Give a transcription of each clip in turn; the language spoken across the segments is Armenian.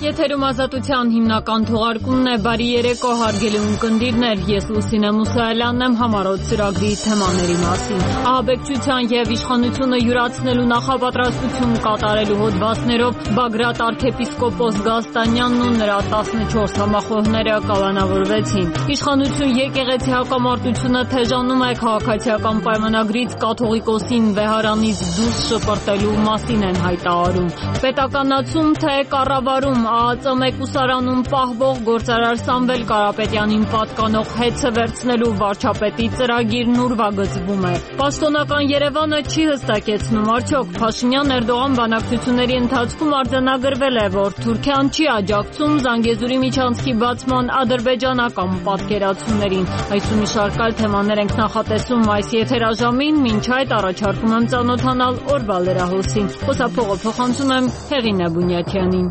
Եթերում ազատության հիմնական թողարկումն է, բարի երեկո հարգելի ունկնդիրներ, ես Լուսինե Մուսայելյանն եմ համառոտ ծրագրի թեմաների մասին։ Ահաբեկչության եւ իշխանությունը յուրացնելու նախապատրաստություն կատարելու հոդվածներով Բագրատ arczepiskopos Գազտանյանն ու նրա 14 համախոհները կալանավորվեցին։ Իշխանություն եկեղեցի հակամարտությունը թեժանում է քաղաքացիական պայմանագրից կաթողիկոսին վեհարանից դուրս շպրտելու մասին են հայտարարում։ Պետականացում թե կառավարում ԱԱԾ մեկուսարանում պահվող գործարար Սամվել Կարապետյանին պատկանող հեծը վերցնելու վարչապետի ծրագիրն ուրվագծվում է։ Պաշտոնական Երևանը չի հստակեցնում, արդյոք Փաշինյան-Էրդողան բանակցությունների ընթացքում արձանագրվել է, որ Թուրքիան չի աջակցում Զանգեզուրի միջանցքի բացման ադրբեջանական պատկերացումներին։ Այս ու մի շարք այլ թեմաներ ենք նախատեսում այս եթերաժամին, մինչ այդ առաջարկում եմ ծանոթանալ օրվա լրահոսին։ Խոսափողը փոխանցում եմ Հեղինե Բունյաթյանին։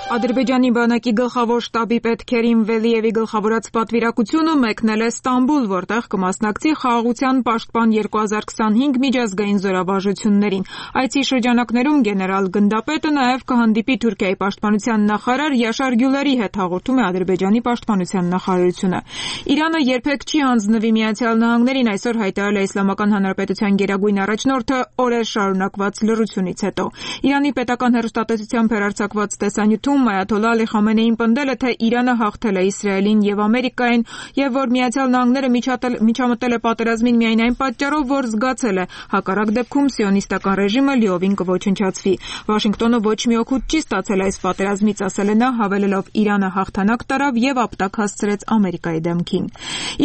Ադրբեջանի բանակի գլխավոր շտաբի պետ Քերիմ Վելիևի գլխավորած պատվիրակությունը մեկնել է Ստամբուլ, որտեղ կմասնակցի խաղաղության պաշտպան 2025 միջազգային զորավարժություններին։ Այցի շրջանակներում գեներալ գնդապետը նաև կհանդիպի Թուրքիայի պաշտպանության նախարար Յաշար Գյուլերի հետ, հաղորդում է Ադրբեջանի պաշտպանության նախարարությունը։ Իրանը երբեք չի հանձնվի Միացյալ Նահանգներին, այսօր հայտարարել է Իսլամական Հանրապետության գերագույն առաջնորդը օրեր շարունակված լռությունից հետո։ Իրանի պետական հեռուստատեսությամբ հեռարձակված տեսանյութում Այաթոլլա Ալի Խամենեին պնդել է, թե Իրանը հաղթել է Իսրայելին եւ Ամերիկային եւ որ Միացյալ Նահանգները միջամտել է պատերազմին միայն այն պատճառով, որ զգացել է հակառակ դեպքում սիոնիստական ռեժիմը լիովին կոչնչացվի։ Վաշինգտոնը ոչ մի օգուտ չի ստացել այս պատերազմից, ասել է նա, հավելելով Իրանը հաղթանակ տարավ եւ ապտակ հասցրեց Ամերիկայի դեմքին։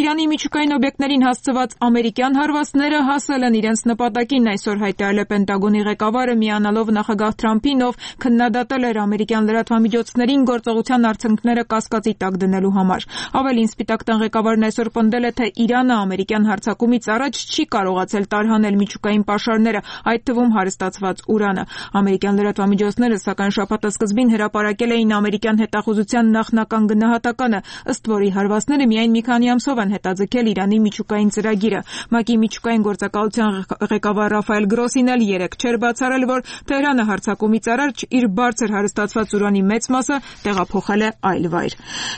Իրանի միջուկային օբյեկտներին հասցված ամերիկյան հարվածները հասել են իրենց նպատակին, այսօր հայտարարել է Պենտագոնի ղեկավարը, միանալով նախագահ Թրամփին, ով քննադատել էր ամերիկյան լրատվամիջոցներին գործողության արդյունքները կասկածի տակ դնելու համար։ Ավելին, Սպիտակ տան ղեկավարն այսօր պնդել է, թե Իրանը ամերիկյան հարձակումից առաջ չի կարողացել տարհանել միջուկային պաշարները, այդ թվում հարստացված ուրանը։ Ամերիկյան լրատվամիջոցները, սակայն շաբաթի սկզբին հրապարակել էին ամերիկյան հետախուզության նախնական գնահատականը, ըստ որի հարվածները միայն մի քանի ամսով են հետաձգել Իրանի միջուկային ծրագիրը։ ՄԱԿ-ի միջուկային գործակալության ղեկավար Ռաֆայել Գրոսին էլ երեկ չէր բացառել, որ Թեհրանը հարձակումից առաջ իր բարձր հարստացված ուրանի մեծ մասը տեղափոխել է այլ վայր։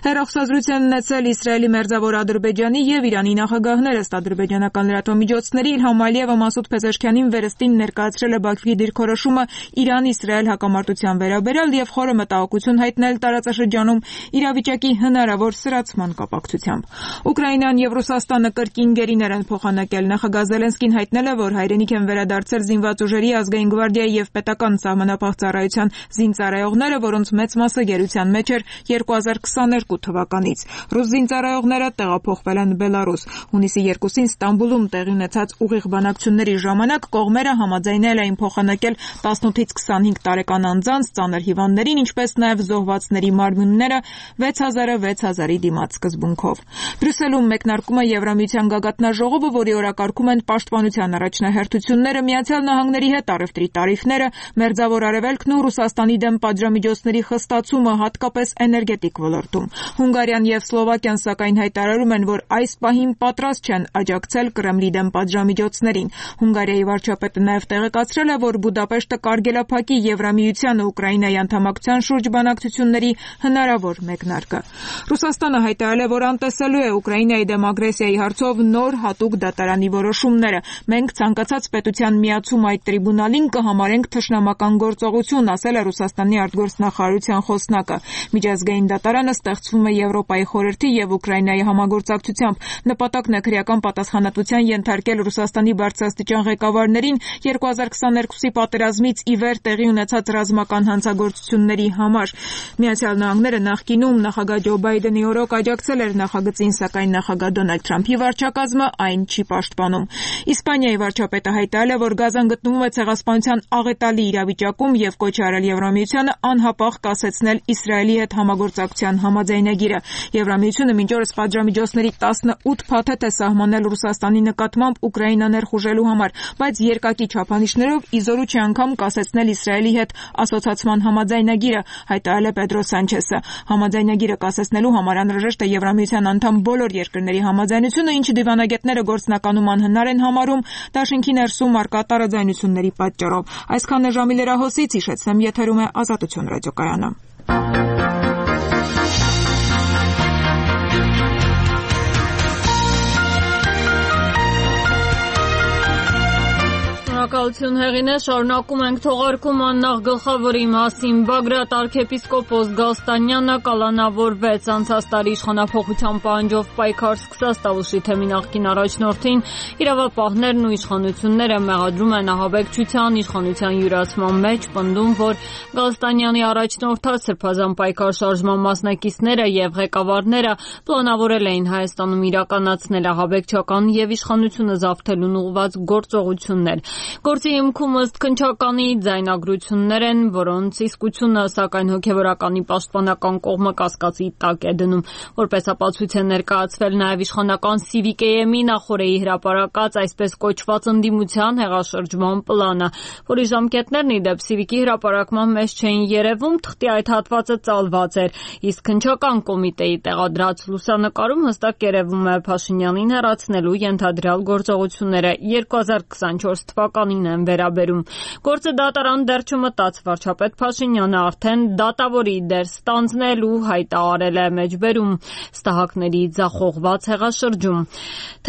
Հեռախոսազրույցն ունեցել Իսրայելի մերձավոր Ադրբեջանի եւ Իրանի նախագահները, ըստ ադրբեջանական լրատվամիջոցների, Իլհամ Ալիևը Մասուդ Փեզեշքյանին վերստին ներկայացրել է Բաքվի դիրքորոշումը Իրան-Իսրայել հակամարտության վերաբերյալ եւ խորը մտահոգություն հայտնել տարածաշրջանում իրավիճակի հնարավոր սրացման կապակցությամբ։ Ուկրաինան եւ Ռուսաստանը կրկին գերիներ են փոխանակել։ Նախագահ Զելենսկին հայտնել է, որ հայրենիք են վերադարձել զինված ուժերի, ազգային գվարդիայի եւ պետական սահմանապահ ծառայության զինծառայողները, որոնց մեծ մասը գերության մեջ էր 2022 թվականից։ Ռուս զինծառայողները տեղափոխվել են Բելարուս։ Հունիսի 2-ին Ստամբուլում տեղի ունեցած ուղիղ բանակցությունների ժամանակ կողմերը համաձայնել էին փոխանակել 18-ից 25 տարեկան անձանց, ծանր հիվանդներին, ինչպես նաև զոհվածների մարմինները 6000-6000-ի դիմաց սկզբունքով։ Բրյուսելում մեկնարկում է Եվրամիության գագաթնաժողովը, որի օրակարգում են պաշտպանության առաջնահերթությունները, Միացյալ Նահանգների հետ առևտրի տարիֆները, Մերձավոր Արևելքն ու Ռուսաստանի դեմ պատժամիջոցների խստացումը, հատկապես էներգետիկ ոլորտում։ Հունգարիան եւ Սլովակիան սակայն հայտարարում են, որ այս պահին պատրաստ չեն աջակցել Կրեմլի դեմ պատժամիջոցներին։ Հունգարիայի վարչապետը նաև տեղեկացրել է, որ Բուդապեշտը կարգելափակի Եվրամիությանը Ուկրաինայի անդամակցության շուրջ բանակցությունների հնարավոր մեկնարկը։ Ռուսաստանը հայտարարել է, որ անտեսելու է Ուկրաինայի դեմ ագրեսիայի հարցով նոր հատուկ դատարանի որոշումները։ Մենք ցանկացած պետության միացում այդ տրիբունալին կհամարենք թշնամական գործողություն, ասել է Ռուսաստանի արտգործնախարարության խոսնակը։ Միջազգային դատարանը ստեղծվում է Եվրոպայի խորհրդի եւ Ուկրաինայի համագործակցությամբ։ Նպատակն է քրեական պատասխանատվության ենթարկել Ռուսաստանի բարձրաստիճան ղեկավարներին 2022-ի պատերազմից ի վեր տեղի ունեցած ռազմական հանցագործությունների համար։ Միացյալ Նահանգները նախկինում նախագահ Ջո Բայդենի օրոք աջակցել էր նախագծին, սակայն նախագահ Դոնալդ Թրամփի վարչակազմը այն չի պաշտպանում։ Իսպանիայի վարչապետը հայտարարել է, որ Գազան գտնվում է ցեղասպանության աղետալի իրավիճակում եւ կոչ արել Եվրամիությանը անհապաղ կասեցնել Իսրայելի հետ համագործակցության համաձայնագիրը։ Եվրամիությունը մինչ օրս պատժամիջոցների 18 փաթեթ է սահմանել Ռուսաստանի նկատմամբ Ուկրաինա ներխուժելու համար, բայց երկակի չափանիշներով իզորու չի անգամ կասեցնել Իսրայելի հետ ասոցացման համաձայնագիրը, հայտարարել է Պետրո Սանչեսը։ Համաձայնագիրը կասեցնելու համար անհրաժեշտ է Եվրամիության անդամ բոլոր երկրների համաձայնությունը, ինչը դիվանագետները գործնականում անհնար են համարում դաշինքի ներսում առկա տարաձայնությունների պատճառով։ Այսքանն է ժամի լրահոսից, հիշեցնեմ, եթերում է Ազատություն ռադիոկայանը։ Շնորհակալություն Հեղինե, շարունակում ենք թողարկումը նախ գլխավորի մասին։ Բագրատ arczepiskopos Գալստանյանը կալանավորվեց։ Անցած տարի իշխանափոխության պահանջով պայքար սկսած Տավուշի թեմի նախկին առաջնորդին իրավապահներն ու իշխանությունները մեղադրում են ահաբեկչության իշխանության յուրացման մեջ, պնդում, որ Գալստանյանի առաջնորդած սրբազան պայքար շարժման մասնակիցները եւ ղեկավարները պլանավորել էին Հայաստանում իրականացնել ահաբեկչական եւ իշխանությունը զավթելուն ուղղված գործողություններ։ Գործի հիմքում ըստ քննչականի ձայնագրություններ են, որոնց իսկությունը սակայն հոգևորականի պաշտպանական կողմը կասկածի տակ է դնում։ Որպես ապացույց է ներկայացվել նաև իշխանական Civic-ի նախորդի հրապարակած այսպես կոչված ընդդիմության հեղաշրջման պլանը, որի ժամկետներն ի դեպ Civic-ի հրապարակման մեջ չէին երևում, թղթի այդ հատվածը ծալված էր, իսկ քննչական կոմիտեի տեղադրած լուսանկարում հստակ երևում է Փաշինյանին հեռացնելու ենթադրյալ գործողությունները 2024 թվականին են վերաբերում։ Գործը դատարան դեռ չմտած վարչապետ Փաշինյանը արդեն դատավորի դեր ստանձնելու հայտարարել է մեջբերում ստահակների ձախողված հեղաշրջում։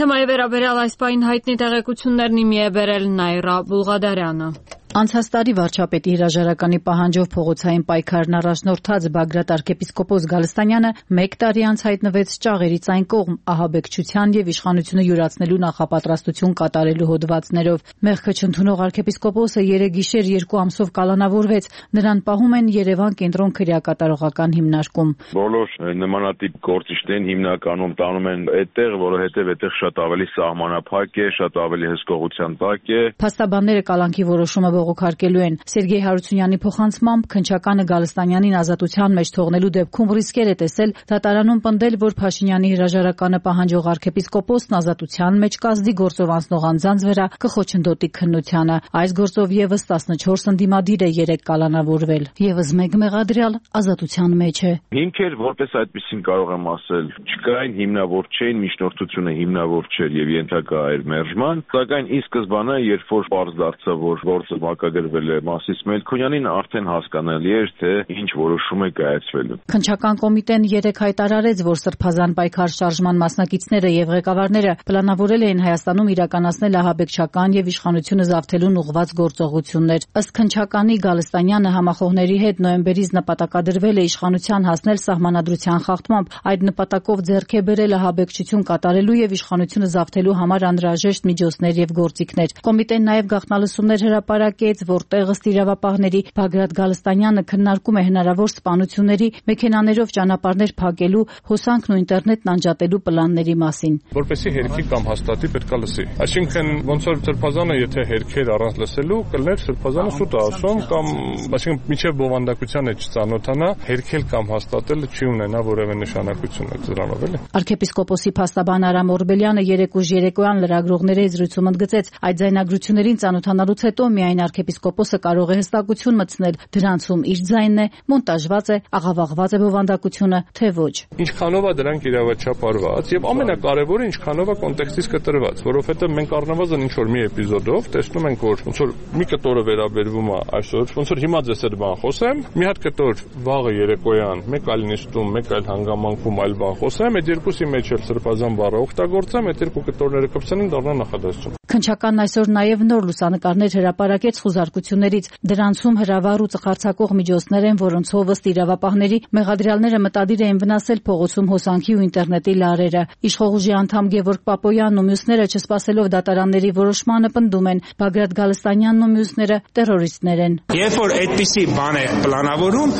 Թեմայի վերաբերյալ այս պահին հայտնի տեղեկություններն իմի է բերել Նայրա Բուլղադարյանը։ Անցած տարի վարչապետի հրաժարականի պահանջով փողոցային պայքարն առաջնորդած Բագրատ arczepiskopos Գալստանյանը 1 տարի անց հայտնվեց ճաղերից այն կողմ ահաբեկչության եւ իշխանությունը յուրացնելու նախապատրաստություն կատարելու հոդվածներով։ Մեղքը չընդունող arczepiskopos-ը 3 գիշեր 2 ամսով կալանավորվեց, նրան պահում են Երևան կենտրոն քրեակատարողական հիմնարկում։ Բոլոր նմանատիպ գործիչներին հիմնականում տանում են այդտեղ, որովհետեւ այդտեղ շատ ավելի սահմանափակ է, շատ ավելի հսկողության տակ է։ Փաստաբանները կալանքի որոշումը բողոքարկելու են։ Սերգեյ Հարությունյանի փոխանցմամբ քննչականը Գալստանյանին ազատության մեջ թողնելու դեպքում ռիսկեր է տեսել դատարանում պնդել, որ Փաշինյանի հրաժարականը պահանջող arczepiskopos-ն ազատության մեջ կազդի գործով անցնող անձանց վրա կխոչընդոտի քննությանը։ Այս գործով եւս 14 ընդդիմադիր է 3 կալանավորվել։ Եվս 1 մեղադրյալ ազատության մեջ է։ Հիմքեր որպես այդպեսին կարող եմ ասել, չկային, հիմնավոր չէին, միջնորդությունը հիմնավոր չէր եւ ենթակա էր մերժման, սակայն ի սկզբանե, երբ որ պարզ դարձավ, որ գործը մակագրվել է Մասիս Մելքոնյանին, արդեն հասկանալի էր, թե ինչ որոշում է կայացվելու։ Քննչական կոմիտեն 3 հայտարարեց, որ սրբազան պայքար շարժման մասնակիցները եւ ղեկավարները պլանավորել էին Հայաստանում իրականացնել ահաբեկչական եւ իշխանությունը զավթելուն ուղղված գործողություններ։ Ըստ քննչականի Գալստանյանը համախոհների հետ նոյեմբերից նպատակադրվել է իշխանության հասնել սահմանադրության խախտմամբ, այդ նպատակով ձեռք է բերել ահաբեկչություն կատարելու եւ իշխանությունը զավթելու համար անհրաժեշտ միջոցներ եւ գործիքներ։ Կոմիտեն նաեւ գաղտնալսումներ հրապարակեց, որտեղ ըստ իրավապահների Բագրատ Գալստանյանը քննարկում է հնարավոր սպանությունների, մեքենաներով ճանապարհներ փակելու, հոսանքն ու ինտերնետն անջատելու պլանների մասին։ Որպեսզի հերքի կամ հաստատի պետքա լսի։ Այսինքն ոնց որ սրբազանը եթե հերքեր առանց լսելու կլներ սրբազանը սուտ ասում կամ այսինքն միջև բովանդակության է չծանոթանա, հերքել կամ հաստատելը չի ունենա որևէ նշանակություն է դրանով էլի։ Arczepiskopos-ի փաստաբան Արամ Օրբելյանը 3 ուժ երեկոյան լրագրողների զրույցում ընդգծեց, այդ ձայնագրություններին ծանոթանալուց հետո միայն arczepiskopos-ը կարող է հստակություն մտցնել դրանցում իր ձայնն է, մոնտաժված է, աղավաղված է բովանդակությունը, թե ոչ։ Ինչքանով է դրանք իրավաչափարված եւ ամենակարևորը ինչքանով է կոնտեքստից կտրված, որովհետեւ մենք առնվազն ինչ որ մի էպիզոդով տեսնում ենք, որ ոնց որ մի կտորը վերաբերվում է այսօր, ոնց որ հիմա ձեզ հետ բան խոսեմ, մի հատ կտոր վաղը երեկոյան, մեկ այլ նիստում, մեկ այլ հանգամանքում այլ բան խոսեմ, այդ երկուսի մեջ էլ սրբազան բառը օգտագործեմ, այդ երկու կտորները կպցնեն դառնա նախադասություն։ Քննչականն այսօր նաեւ նոր լուսանկարներ հրապարակեց խուզարկություններից։ Դրանցում հրավառ ու ծխարցակող միջոցներ են, որոնցով ըստ իրավապահների մեղադրյալները մտադիր էին վնասել փողոցում հոսանքի ու ինտերնետի լարերը։ Իշխող ուժի անդամ Գևորգ Պապոյանն ու մյուսները չսպասելով դատարանների որոշմանը պնդում են, Բագրատ Գալստանյանն ու մյուսները տերորիստներ են։ Երբ որ այդպիսի բան է պլանավորում,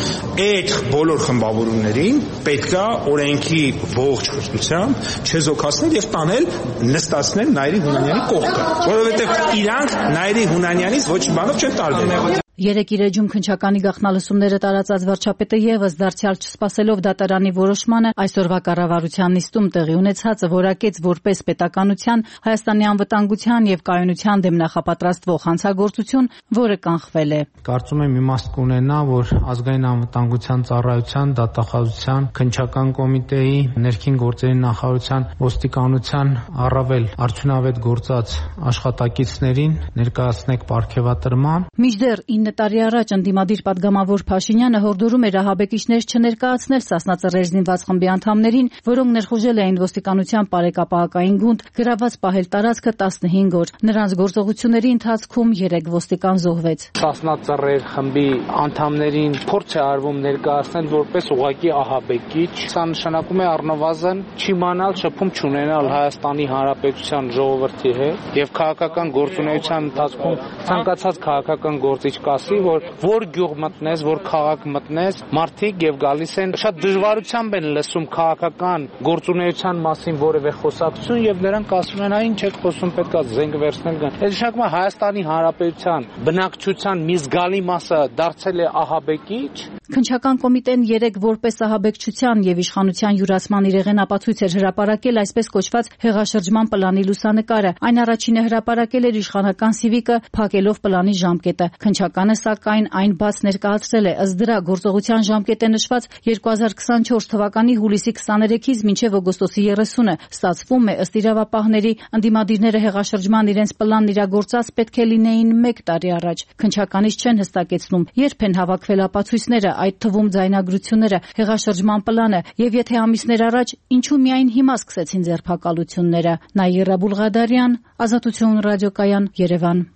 այդ բոլոր խմբավորումներին պետքա օրենքի ողջ հստությամբ չեզոքացնել եւ տանել նստացնել Նայիրի Հունանյանի կողքը, որովհետեւ իրանք Նայիրի Հունանյանից ոչ մի բանով չեն տարբերվում։ Երեկ իր էջում քննչականի գաղտնալսումները տարածած վարչապետը եւս դարձյալ չսպասելով դատարանի որոշմանը այսօրվա կառավարության նիստում տեղի ունեցածը որակեց որպես պետականության, Հայաստանի անվտանգության եւ կայունության դեմ նախապատրաստվող հանցագործություն, որը կանխվել է։ Կարծում եմ իմաստ կունենա, որ ազգային անվտանգության ծառայության, դատախազության, քննչական կոմիտեի, ներքին գործերի նախարարության, ոստիկանության առավել արդյունավետ գործած աշխատակիցներին ներկայացնեք պարգևատրման։ Մինչդեռ 9 տարի առաջ ընդդիմադիր պատգամավոր Փաշինյանը հորդորում էր ահաբեկիչներ չներկայացնել Սասնա Ծռեր զինված խմբի անդամներին, որոնք ներխուժել էին ոստիկանության պարեկապահակային գունդ, գրաված պահել տարածքը 15 օր։ Նրանց գործողությունների ընթացքում 3 ոստիկան զոհվեց։ Սասնա Ծռեր խմբի անդամներին փորձ է արվում ներկայացնել որպես ուղղակի ահաբեկիչ։ Սա նշանակում է առնվազն չիմանալ, շփում չունենալ Հայաստանի Հանրապետության ժողովրդի հետ եւ քաղաքական գործունեության ընթացքում ցանկացած քաղաքական գործիչ կասի, որ գյուղ մտնես, որ քաղաք մտնես, մարդիկ եւ գալիս են շատ դժվարությամբ են լսում քաղաքական գործունեության մասին որևէ խոսակցություն եւ նրանք ասում են, այն չեք խոսում, պետքա զենք վերցնել գան։ Այս նշանակում է Հայաստանի Հանրապետության բնակչության մի զգալի մասը դարձել է ահաբեկիչ։ Քննչական կոմիտեն 3 որպես ահաբեկչության եւ իշխանության յուրացման իրեղեն ապացույց էր հրապարակել այսպես կոչված հեղաշրջման պլանի լուսանկարը։ Այն առաջինը հրապարակել էր իշխանական Սիվիկը, փակելով պլանի ժամկետը։ Քննչականը սակայն այն բաց ներկայացրել է, ըստ դրա գործողության ժամկետը նշված 2024 թվականի հուլիսի 23-ից մինչև օգոստոսի 30-ը։ Ստացվում է, ըստ իրավապահների, ընդդիմադիրները հեղաշրջման իրենց պլանն իրագործած պետք է լինեին 1 տարի առաջ։ Քննչականից չեն հստակեցնում, երբ են հավաքվել ապացույցները, այդ թվում ձայնագրությունները, հեղաշրջման պլանը, եւ եթե ամիսներ առաջ, ինչու միայն հիմա սկսեցին ձերբակալությունները։ Նաիրա Բուլղադարյան, Ազատություն ռադիոկայան, Երևան։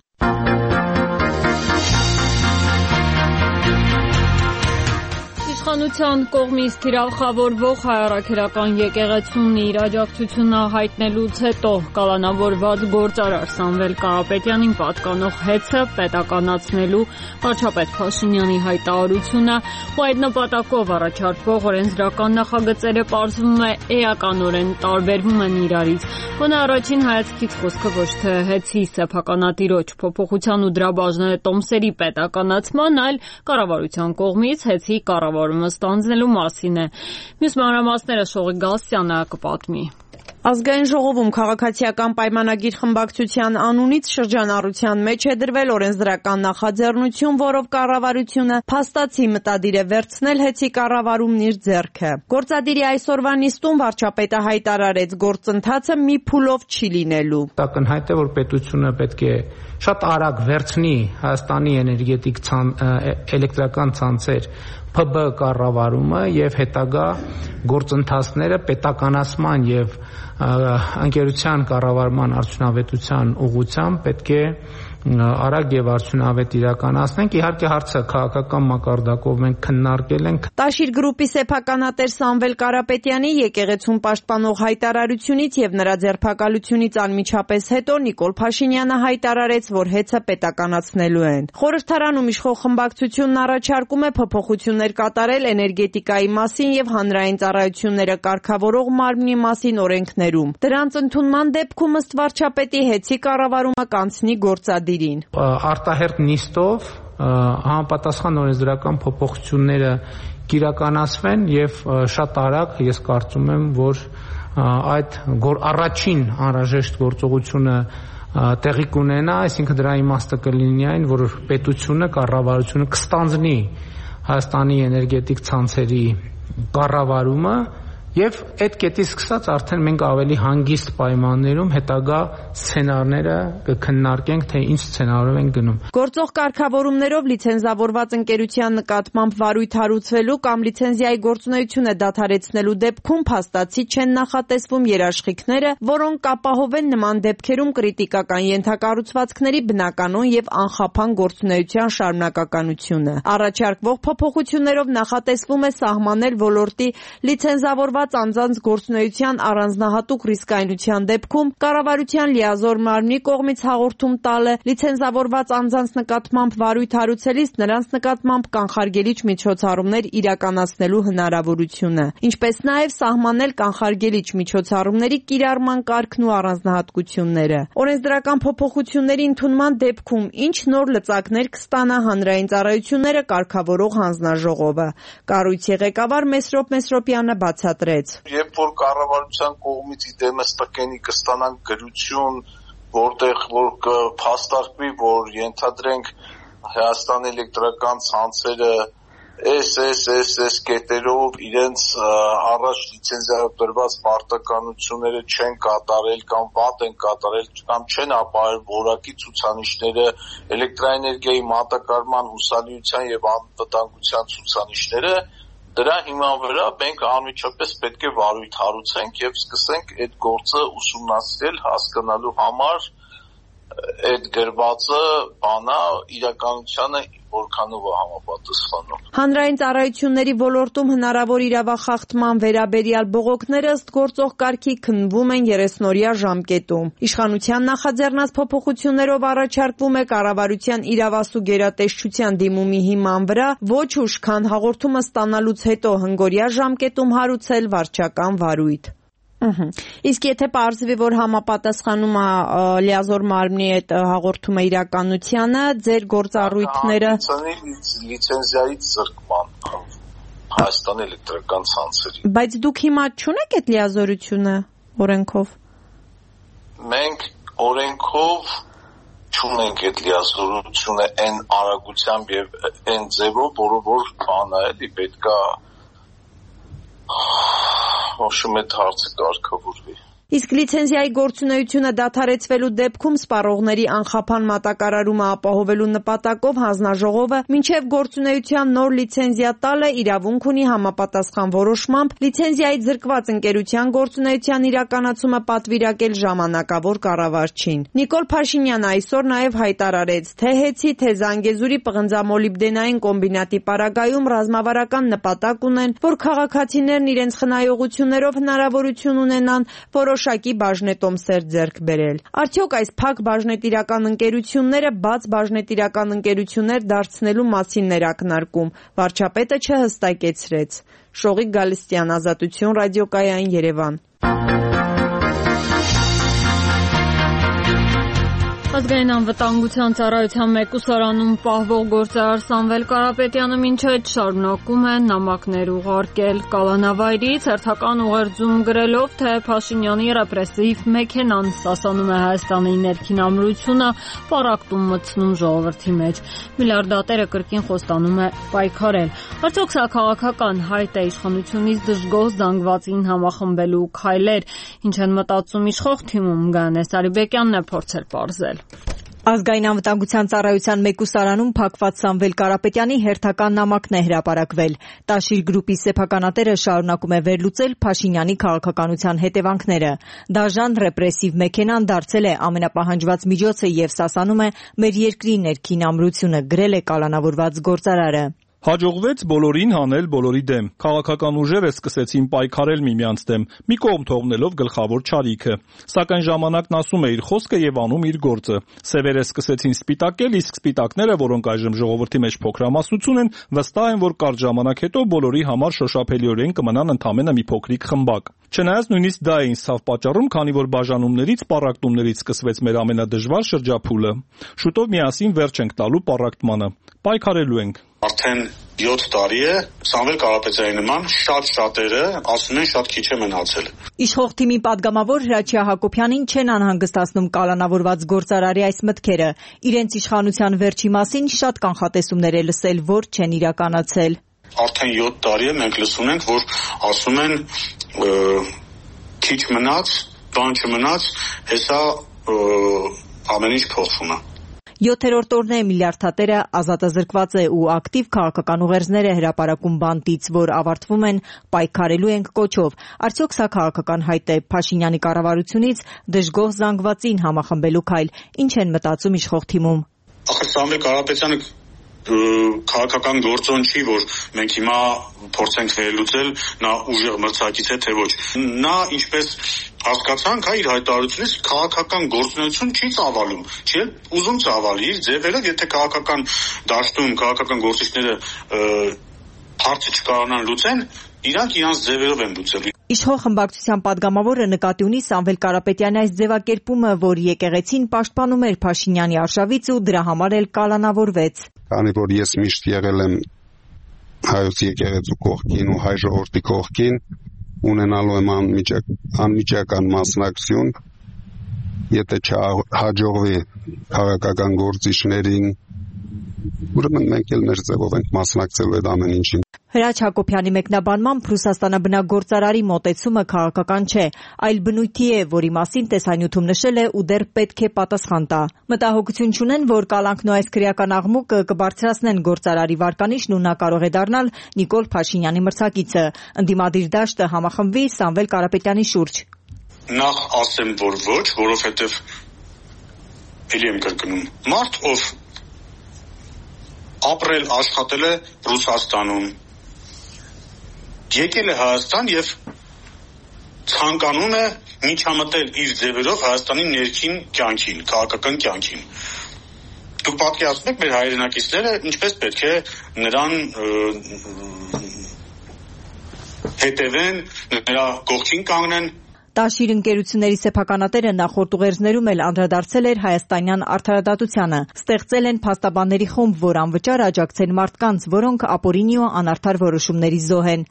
Իշխանության կողմից թիրախավորվող հայ առաքելական եկեղեցուն իր աջակցությունը հայտնելուց հետո կալանավորված գործարար Սամվել Կարապետյանին պատկանող հեծը պետականացնելու վարչապետ Փաշինյանի հայտարարությունը ու այդ նպատակով առաջարկվող օրենսդրական նախագծերը պարզվում է էականորեն տարբերվում են իրարից։ Գոնե առաջին հայացքից խոսքը ոչ թե հեծի սեփականատիրոջ փոփոխության ու դրա բաժները տոմսերի պետականացման, այլ կառավարության կողմից հեծի կառավարումը ստանձնելու մասին է։ Մյուս մանրամասները Շողիկ Գալստյանը կպատմի։ Ազգային ժողովում քաղաքացիական պայմանագիր խմբակցության անունից շրջանառության մեջ է դրվել օրենսդրական նախաձեռնություն, որով կառավարությունը փաստացի մտադիր է վերցնել հեծի կառավարումն իր ձեռքը։ Գործադիրի այսօրվա նիստում վարչապետը հայտարարեց, գործընթացը մի փուլով չի լինելու։ Ակնհայտ է, որ պետությունը պետք է շատ արագ վերցնի Հայաստանի էլեկտրական ցանցեր ՓԲ կառավարումը եւ հետագա գործընթացները պետականացման եւ անկերության կառավարման արդյունավետության ուղղությամբ պետք է արագ եւ արդյունավետ իրականացնենք։ Իհարկե հարցը քաղաքական մակարդակով մենք քննարկել ենք։ Տաշիր գրուպի սեփականատեր Սամվել Կարապետյանի եկեղեցուն պաշտպանող հայտարարությունից եւ նրա ձերբակալությունից անմիջապես հետո Նիկոլ Փաշինյանը հայտարարեց, որ հեծը պետականացնելու են։ Խորհրդարանում իշխող խմբակցությունն առաջարկում է փոփոխություններ կատարել էներգետիկայի մասին եւ հանրային ծառայությունները կարգավորող մարմնի մասին օրենքներում։ Դրանց ընդունման դեպքում ըստ վարչապետի հեծի կառավարումը կանցնի գործադիրին։ Արտահերթ նիստով համապատասխան օրենսդրական փոփոխությունները կիրականացվեն եւ շատ արագ ես կարծում եմ, որ այդ առաջին անհրաժեշտ գործողությունը տեղի կունենա, այսինքն դրա իմաստը կլինի այն, որ պետությունը, կառավարությունը կստանձնի Հայաստանի էներգետիկ ցանցերի կառավարումը եւ այդ կետից սկսած արդեն մենք ավելի հանգիստ պայմաններում հետագա սցենարները կքննարկենք, թե ինչ սցենարով են գնում։ Գործող կարգավորումներով լիցենզավորված ընկերության նկատմամբ վարույթ հարուցվելու կամ լիցենզիայի գործունեությունը դադարեցնելու դեպքում փաստացի չեն նախատեսվում երաշխիքները, որոնք կապահովեն նման դեպքերում կրիտիկական ենթակառուցվածքների բնականon եւ անխափան գործունեության շարունակականությունը։ Առաջարկվող փոփոխություններով նախատեսվում է սահմանել ոլորտի լիցենզավորված լիցենզավորված անձանց գործունեության առանձնահատուկ ռիսկայնության դեպքում կառավարության լիազոր մարմնի կողմից հաղորդում տալը, լիցենզավորված անձանց նկատմամբ վարույթ հարուցելիս նրանց նկատմամբ կանխարգելիչ միջոցառումներ իրականացնելու հնարավորությունը, ինչպես նաև սահմանել կանխարգելիչ միջոցառումների կիրառման կարգն ու առանձնահատկությունները։ Օրենսդրական փոփոխությունների ընդունման դեպքում ինչ նոր լծակներ կստանա հանրային ծառայությունները կարգավորող հանձնաժողովը։ Կառույցի ղեկավար Մեսրոպ Մեսրոպյանը բացատրեց. Երբ որ կառավարության կողմից իդեմս տկենի կստանանք գրություն, որտեղ որ կփաստարկվի, որ ենթադրենք Հայաստանի էլեկտրական ցանցերը այս կետերով իրենց առաջ լիցենզիատրված պարտականությունները չեն կատարել կամ վատ են կատարել կամ չեն ապահովել որակի ցուցանիշները, էլեկտրաէներգիայի մատակարարման հուսալիության եւ անվտանգության ցուցանիշները, դրա հիման վրա մենք անմիջապես պետք է վարույթ հարուցենք եւ սկսենք այդ գործը ուսումնասիրել, հասկանալու համար այդ գրվածը բանա իրականությանը որքանով է համապատասխանում։ Հանրային ծառայությունների ոլորտում հնարավոր իրավախախտման վերաբերյալ բողոքները ըստ գործող կարգի քննվում են 30-օրյա ժամկետում։ Իշխանության նախաձեռնած փոփոխություններով առաջարկվում է կառավարության իրավասու գերատեսչության դիմումի հիման վրա ոչ ուշ, քան հաղորդումը ստանալուց հետո հնգօրյա ժամկետում հարուցել վարչական վարույթ։ Իսկ եթե պարզվի, որ համապատասխանում է լիազոր մարմնի այդ հաղորդումը իրականությանը, ձեր գործառույթները լիցենզիայից զրկման Հայաստանի էլեկտրական ցանցերի։ Բայց դուք հիմա չունեք այդ լիազորությունը օրենքով։ Մենք օրենքով չունենք այդ լիազորությունը այն արագությամբ եւ այն ձևով, որ բանը էլի պետքա Ոչմ այդ հարցը կարգավորվի։ Իսկ լիցենզիայի գործունեությունը դադարեցվելու դեպքում սպառողների անխափան մատակարարումը ապահովելու նպատակով հանձնաժողովը մինչև գործունեության նոր լիցենզիա տալը իրավունք ունի համապատասխան որոշմամբ լիցենզիայից զրկված ընկերության գործունեության իրականացումը պատվիրակել ժամանակավոր կառավարչին։ Նիկոլ Փաշինյանը այսօր նաև հայտարարեց, թե Հեցի, թե Զանգեզուրի պղնձամոլիբդենային կոմբինատի պարագայում ռազմավարական նպատակ ունեն, որ քաղաքացիներն իրենց խնայողություններով հնարավորություն ունենան որոշակի բաժնետոմսեր ձեռք բերել։ Արդյոք այս փակ բաժնետիրական ընկերությունները բաց բաժնետիրական ընկերություններ դարձնելու մասին ներակնարկում վարչապետը չհստակեցրեց։ Շողիկ Գալստյան, Ազատություն, ռադիոկայան, Երևան։ Ազգային անվտանգության ծառայության մեկուսարանում պահվող գործարար Սամվել Կարապետյանը մինչ այդ շարունակում է նամակներ ուղարկել կալանավայրից, հերթական ուղերձում գրելով, թե Փաշինյանի ռեպրեսիվ մեքենան սասանում է Հայաստանի ներքին ամրությունը, պառակտում մտցնում ժողովրդի մեջ։ Միլիարդատերը կրկին խոստանում է պայքարել։ Արդյոք սա քաղաքական հայտ է իշխանությունից դժգոհ զանգվածին համախմբելու քայլեր, ինչ են մտածում իշխող թիմում, Գայանե Սարիբեկյանն է փորձել պարզել։ Ազգային անվտանգության ծառայության մեկուսարանում փակված Սամվել Կարապետյանի հերթական նամակն է հրապարակվել։ Տաշիր գրուպի սեփականատերը շարունակում է վերլուծել Փաշինյանի քաղաքականության հետևանքները։ Դաժան ռեպրեսիվ մեքենան դարձել է ամենապահանջված միջոցը եւ սասանում է մեր երկրի ներքին ամրությունը, գրել է կալանավորված գործարարը։ Հաջողվեց բոլորին հանել բոլորի դեմ։ Քաղաքական ուժերը սկսեցին պայքարել միմյանց դեմ, մի կողմ թողնելով գլխավոր չարիքը։ Սակայն ժամանակն ասում է իր խոսքը եւ անում իր գործը։ Սևերը սկսեցին սպիտակել, իսկ սպիտակները, որոնք այժմ ժողովրդի մեջ փոքրամասնություն են, վստահ են, որ կարճ ժամանակ հետո բոլորի համար շոշափելիորեն կմնան ընդամենը մի փոքրիկ խմբակ։ Չնայած նույնիսկ դա է ինձ ցավ պատճառում, քանի որ բաժանումներից, պառակտումներից սկսվեց մեր ամենադժվար շրջափուլը։ Շուտով միասին վերջ ենք տալու պառակտմանը։ Պայքարելու ենք։ Արդեն 7 տարի է Սամվել Կարապետյանի նման շատերը ասում են շատ քիչ է մնացել։ Իշխող թիմի падգամավոր Հրաչյա Հակոբյանին չեն անհանգստացնում կալանավորված գործարարի այս մտքերը։ Իրենց իշխանության վերջի մասին շատ կանխատեսումներ է լսել, որ չեն իրականացել։ Արդեն 7 տարի է մենք լսում ենք, որ ասում են քիչ մնաց, բան չմնաց, հեսա ամեն ինչ փոխվում է։ 7-րդ օրն է միլիարդատերը ազատազրկված է ու ակտիվ քաղաքական ուղերձներ է հրապարակում բանտից, որ ավարտվում են պայքարելու ենք կոչով։ Արդյոք սա քաղաքական հայտ է Փաշինյանի կառավարությունից դժգոհ զանգվածին համախմբելու քայլ։ Ինչ են մտածում իշխող թիմում։ Ախր Սամվել Կարապետյանը քաղաքական գործոն չի, որ մենք հիմա փորձենք վերլուծել, նա ուժեղ մրցակից է թե ոչ։ Նա ինչպես հասկացանք, իր հայտարարությունից քաղաքական գործունեություն չի ծավալում, չի ուզում ծավալի իր ձևերով, եթե քաղաքական դաշտում քաղաքական գործիչները հարցը չկարողանան լուծեն, իրանք իրանց ձևերով են լուծել։ Իշխող խմբակցության падգամավորը նկատի ունի Սամվել Կարապետյանի այս ձևակերպումը, որ եկեղեցին պաշտպանում էր Փաշինյանի արշավից ու դրա համար էլ կալանավորվեց։ Քանի որ ես միշտ եղել եմ հայոց եկեղեցու կողքին ու հայ ժողովրդի կողքին, ունենալու եմ անմիջական մասնակցություն, եթե չհաջողվի քաղաքական գործիչներին, ուրեմն մենք էլ մեր ձևով ենք մասնակցելու այդ ամեն ինչին։ Հրաչ Հակոբյանի մեկնաբանմամբ Ռուսաստանաբնակ գործարարի մոտեցումը քաղաքական չէ, այլ բնույթի է, որի մասին տեսանյութում նշել է ու դեռ պետք է պատասխան տա։ Մտահոգություն չունեն, որ կալանքն ու այս քրեական աղմուկը կբարձրացնեն գործարարի վարկանիշն ու նա կարող է դառնալ Նիկոլ Փաշինյանի մրցակիցը։ Ընդդիմադիր դաշտը համախմբվի Սամվել Կարապետյանի շուրջ։ Նախ ասեմ, որ ոչ, որովհետև ելի եմ կրկնում, մարդ, ով ապրել, աշխատել է Ռուսաստանում, եկել է Հայաստան եւ ցանկանում է միջամտել իր ձևերով Հայաստանի ներքին կյանքին, քաղաքական կյանքին։ Դուք պատկերացնում եք մեր հայրենակիցները ինչպես պետք է նրան հետևեն, նրա կողքին կանգնեն։ Տաշիր ընկերությունների սեփականատերը նախորդ ուղերձներում էլ անդրադարձել էր հայաստանյան արդարադատությանը։ Ստեղծել են փաստաբանների խումբ, որ անվճար աջակցեն մարդկանց, որոնք ապօրինի ու անարդար որոշումների զոհ են։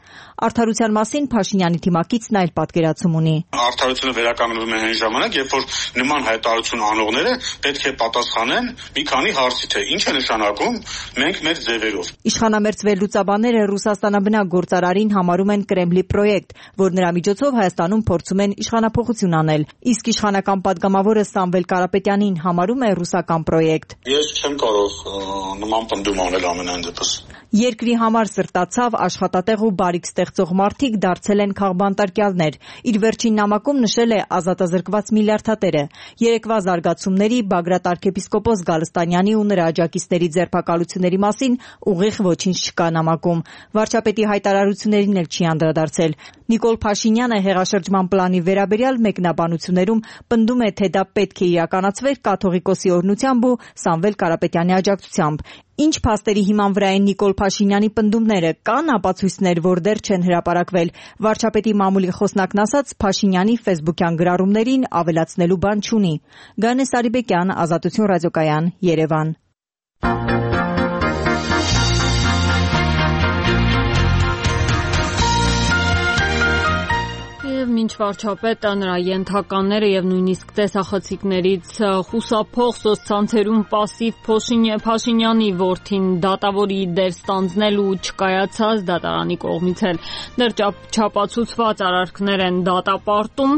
Արդարության մասին Փաշինյանի թիմակիցն այլ պատկերացում ունի։ Արդարությունը վերականգնվում է այն ժամանակ, երբ որ նման հայտարարություն անողները պետք է պատասխանեն մի քանի հարցի, թե ինչ է նշանակում մենք մեր ձևերով։ Իշխանամերձ վերլուծաբանները Ռուսաստանաբնակ գործարարին համարում են Կրեմլի պրոյեկտ, որ նրա միջոցով Հայաստանում փորձում են իշխանափոխություն անել, իսկ իշխանական падգամավորը Սամվել Կարապետյանին համարում է ռուսական պրոյեկտ։ Ես չեմ կարող նման պնդում անել ամենայն դեպս։ Երկրի համար սրտացավ, աշխատատեղ ու բարիք ստեղծող մարդիկ դարձել են քաղբանտարկյալներ։ Իր վերջին նամակում նշել է ազատազրկված միլիարդատերը։ Երեկվա զարգացումների Բագրատ arczepiskopos Գալստանյանի ու նրա աջակիցների ձերբակալությունների մասին ուղիղ ոչինչ չկա նամակում։ Վարչապետի հայտարարություններին էլ չի անդրադարձել։ Նիկոլ Փաշինյանը հեղաշրջման պլանի վերաբերյալ մեկնաբանություններում պնդում է, թե դա պետք է իրականացվեր կաթողիկոսի օրհնությամբ ու Սամվել Կարապետյանի աջակցությամբ։ Ինչ փաստերի հիման վրա են Նիկոլ Փաշինյանի պնդումները, կան ապացույցներ, որ դեռ չեն հրապարակվել։ Վարչապետի մամուլի խոսնակն ասաց, Փաշինյանի ֆեյսբուքյան գրառումներին ավելացնելու բան չունի։ Գանե Սարիբեկյան, Ազատություն ռադիոկայան, Երևան։ Մինչ վարչապետը, նրա ենթականները եւ նույնիսկ տեսախցիկներից խուսափող սոցցանցերում պասիվ Փաշինյանի որդին դատավորի դեր ստանձնել ու չկայացած դատարանի կողմից էլ դեռ չապացուցված արարքներ են դատապարտում։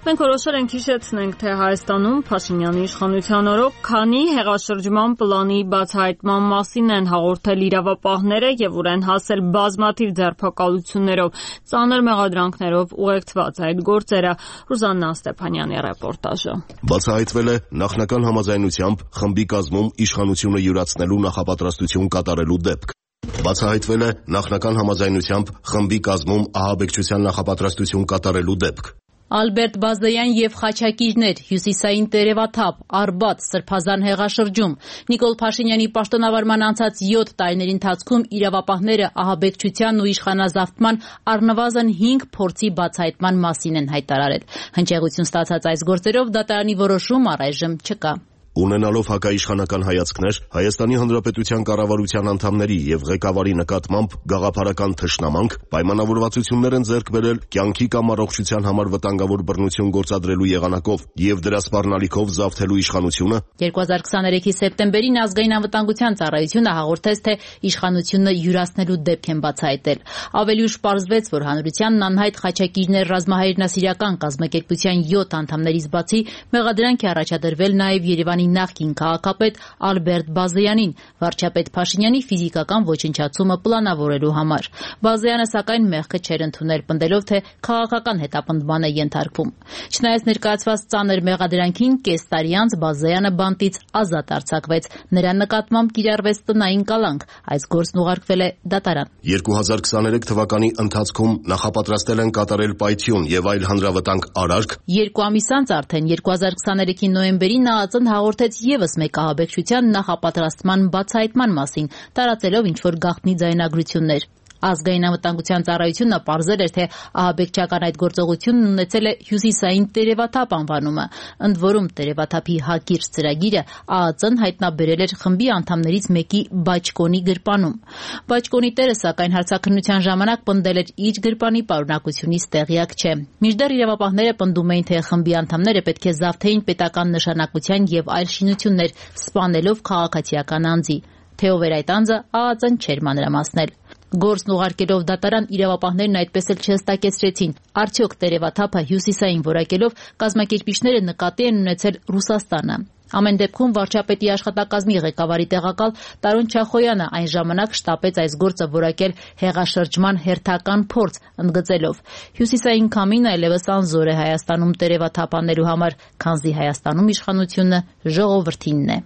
Մենք որոշել ենք հիշեցնենք, թե Հայաստանում Փաշինյանի իշխանության օրոք քանի հեղաշրջման պլանի բացահայտման մասին են հաղորդել իրավապահները եւ ուր են հասել բազմաթիվ ձերբակալություններով, ծանր մեղադրանքներով ուղեկցված այդ գործերը։ Ռուզաննա Ստեփանյանի ռեպորտաժը։ Բացահայտվել է նախնական համաձայնությամբ խմբի կազմում իշխանությունը յուրացնելու նախապատրաստություն կատարելու դեպք։ Բացահայտվել է նախնական համաձայնությամբ խմբի կազմում ահաբեկչության նախապատրաստություն կատարելու դեպք։ Ալբերտ Բազդայան եւ Խաչակիրներ, Հյուսիսային Տերևաթափ, Արբադ, Սրբազան հեղաշրջում։ Նիկոլ Փաշինյանի պաշտոնավարման անցած 7 տարիների ընթացքում իրավապահները ահաբեկչության ու իշխանազավթման առնվազն 5 փորձի բացահայտման մասին են հայտարարել։ Հնչեղություն ստացած այս գործերով դատարանի որոշում առայժմ չկա։ Ունենալով հակաիշխանական հայացքներ, Հայաստանի Հանրապետության կառավարության անդամների եւ ղեկավարի նկատմամբ գաղափարական թշնամանք, պայմանավորվածություններ են ձեռք բերել կյանքի կամ առողջության համար վտանգավոր բռնություն գործադրելու եղանակով եւ դրա սպառնալիքով զավթելու իշխանությունը 2023-ի սեպտեմբերին ազգային անվտանգության ծառայությունը հաղորդեց, թե իշխանությունը յուրացնելու դեպք են բացահայտել։ Ավելի ուշ պարզվեց, որ հանրությանն անհայտ Խաչակիրներ ռազմահայրենասիրական կազմակերպության 7 անդամներից բացի մեղադրանք է առաջադրվել նաեւ Երևանի Հայաստանի նախկին քաղաքապետ Ալբերտ Բազեյանին վարչապետ Փաշինյանի ֆիզիկական ոչնչացումը պլանավորելու համար։ Բազեյանը սակայն մեղքը չէր ընդունել, պնդելով, թե քաղաքական հետապնդման է ենթարկվում։ Չնայած ներկայացված ծանր մեղադրանքին, կես տարի անց Բազեյանը բանտից ազատ արձակվեց։ Նրա նկատմամբ կիրառվեց տնային կալանք, այս գործն ուղարկվել է դատարան։ 2023 թվականի ընթացքում նախապատրաստել են կատարել պայթյուն եւ այլ հանրավտանգ արարք։ 2 ամիս անց արդեն 2023-ի նոյեմբերին ՆԱԱԾ-ն հաղորդեց եւս մեկ ահաբեկչության նախապատրաստման բացահայտման մասին, տարածելով ինչ-որ գաղտնի ձայնագրություններ։ Ազգային անվտանգության ծառայությունը պարզել էր, թե ահաբեկչական այդ գործողությունն ունեցել է հյուսիսային տերևաթափ անվանումը։ Ընդ որում տերևաթափի հակիրճ ծրագիրը ԱԱԾ-ն հայտնաբերել էր խմբի անդամներից մեկի Բաճկոնի գրպանում։ Բաճկոնի տերը սակայն հարցաքննության ժամանակ պնդել էր իր գրպանի պարունակությունից տեղյակ չէ։ Մինչդեռ իրավապահները պնդում էին, թե խմբի անդամները պետք է զավթեին պետական նշանակության եւ այլ շինություններ, սպանելով քաղաքացիական անձի։ Թե ով էր այդ անձը, ԱԱԾ-ն չէր մանրամասնել։ Գործն ուղարկելով դատարան, իրավապահներն այդպես էլ չհստակեցրեցին, արդյոք տերևաթափը հյուսիսային որակելով կազմակերպիչները նկատի են ունեցել Ռուսաստանը։ Ամեն դեպքում վարչապետի աշխատակազմի ղեկավարի տեղակալ Տարոն Չախոյանը այն ժամանակ շտապեց այս գործը որակել հեղաշրջման հերթական փորձ, ընդգծելով. հյուսիսային քամին այլևս անզոր է Հայաստանում տերևաթափ անելու համար, քանզի Հայաստանում իշխանությունը ժողովրդինն է։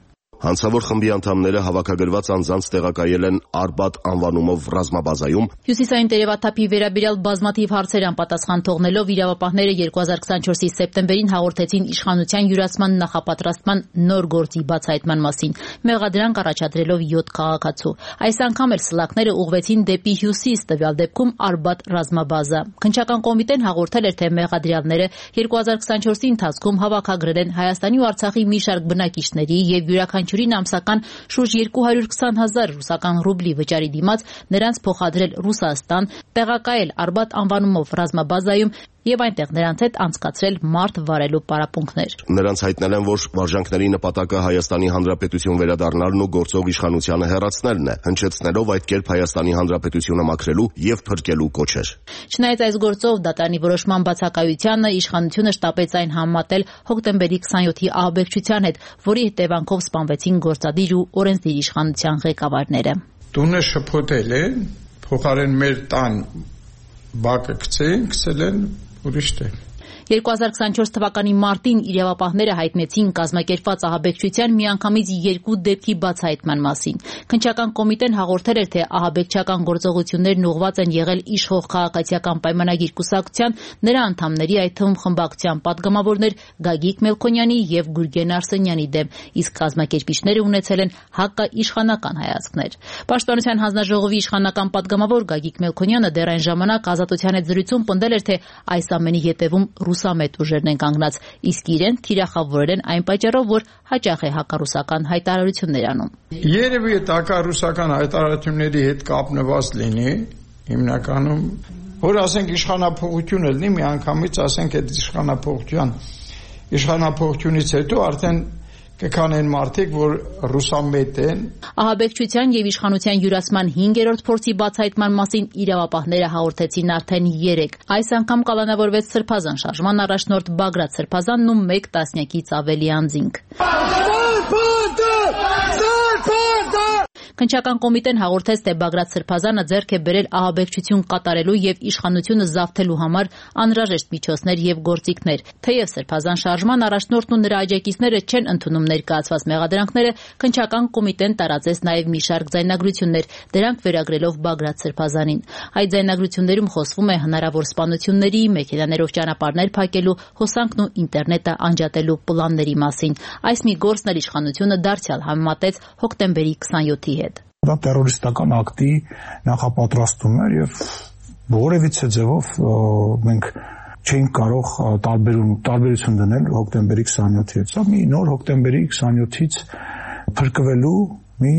Հանցավոր խմբի անդամները հավաքագրված անձանց տեղակայել են Արբաթ անվանումով ռազմաբազայում։ Հյուսիսային տերևաթափի վերաբերյալ բազմաթիվ հարցեր անպատասխան թողնելով իրավապահները 2024-ի սեպտեմբերին հաղորդեցին իշխանության յուրացման նախապատրաստման նոր գործի բացահայտման մասին, մեղադրանք առաջադրելով 7 քաղաքացու։ Այս անգամ էլ սլաքները ուղղվեցին դեպի հյուսիս, տվյալ դեպքում Արբաթ ռազմաբազա։ Քննչական կոմիտեն հաղորդել էր, թե մեղադրյալները 2024-ի ընթացքում հավաքագրել են Հայաստանի ու Արցախի մի շարք բնակիչների եւ յուրաքանչյուրին ամսական շուրջ 220,000 ռուսական ռուբլի վճարի դիմաց նրանց փոխադրել Ռուսաստան, տեղակայել Արբաթ անվանումով ռազմաբազայում եւ այնտեղ նրանց հետ անցկացրել մարդ վարելու պարապմունքներ։ Նրանց հայտնել են, որ վարժանքների նպատակը Հայաստանի Հանրապետություն վերադառնալն ու գործող իշխանությանը հեռացնելն է, հնչեցնելով այդ կերպ Հայաստանի Հանրապետությունը մաքրելու եւ փրկելու կոչեր։ Չնայած այս գործով դատարանի որոշման բացակայությանը իշխանությունը շտապեց այն համատել հոկտեմբերի 27-ի ահաբեկչության հետ, որի հետևանքով սպանվեցին գործադիր ու օրենսդիր իշխանության ղեկավարները։ Տունը շփոթել է, փոխարեն մեր տան բակը գցել են ուրիշ տեղ։ 2024 թվականի մարտին իրավապահները հայտնեցին կազմակերպված ահաբեկչության միանգամից 2 դեպքի բացահայտման մասին։ Քննչական կոմիտեն հաղորդել էր, թե ահաբեկչական գործողություններն ուղղված են եղել իշխող քաղաքացիական պայմանագիր կուսակցության, նրա անդամների, այդ թվում խմբակցության պատգամավորներ Գագիկ Մելքոնյանի եւ Գուրգեն Արսենյանի դեմ, իսկ կազմակերպիչները ունեցել են հակաիշխանական հայացքներ։ Պաշտպանության հանձնաժողովի իշխանական պատգամավոր Գագիկ Մելքոնյանը դեռ այն ժամանակ Ազատության հետ զրույցում պնդել էր, թե այս ամենի հետևում ռուսամետ ուժերն են կանգնած, իսկ իրեն թիրախավորել են այն պատճառով, որ հաճախ է հակառուսական հայտարարություններ անում։ Երևի այդ հակառուսական հայտարարությունների հետ կապնված լինի, հիմնականում, որ ասենք իշխանափոխություն լինի, միանգամից ասենք այդ իշխանափոխությունից հետո արդեն կքանեն մարդիկ, որ ռուսամետ են։ Ահաբեկչության եւ իշխանության յուրացման 5-րդ փորձի բացահայտման մասին իրավապահները հաղորդեցին արդեն 3։ Այս անգամ կալանավորվեց Սրբազան շարժման առաջնորդ Բագրատ Սրբազանն ու 1 տասնյակից ավելի անձինք։ Քննչական կոմիտեն հաղորդեց, թե Բագրատ Սրբազանը ձեռք է բերել ահաբեկչություն կատարելու եւ իշխանությունը զավթելու համար անհրաժեշտ միջոցներ եւ գործիքներ։ Թեև Սրբազան շարժման առաջնորդն ու նրա աջակիցները չեն ընդունում ներկայացված մեղադրանքները, քննչական կոմիտեն տարածեց նաեւ մի շարք ձայնագրություններ, դրանք վերագրելով Բագրատ Սրբազանին։ Այդ ձայնագրություններում խոսվում է հնարավոր սպանությունների, մեքենաներով ճանապարհներ փակելու, հոսանքն ու ինտերնետը անջատելու պլանների մասին։ Այս մի գործն էլ իշխանությունը դարձյալ համեմատեց հոկտեմբերի 27-ի հետ։ Դա տերորիստական ակտի նախապատրաստում էր եւ որևիցե ձևով մենք չէինք կարող տարբերություն դնել հոկտեմբերի 27-ի հետ։ Սա մի նոր հոկտեմբերի 27-ից փրկվելու մի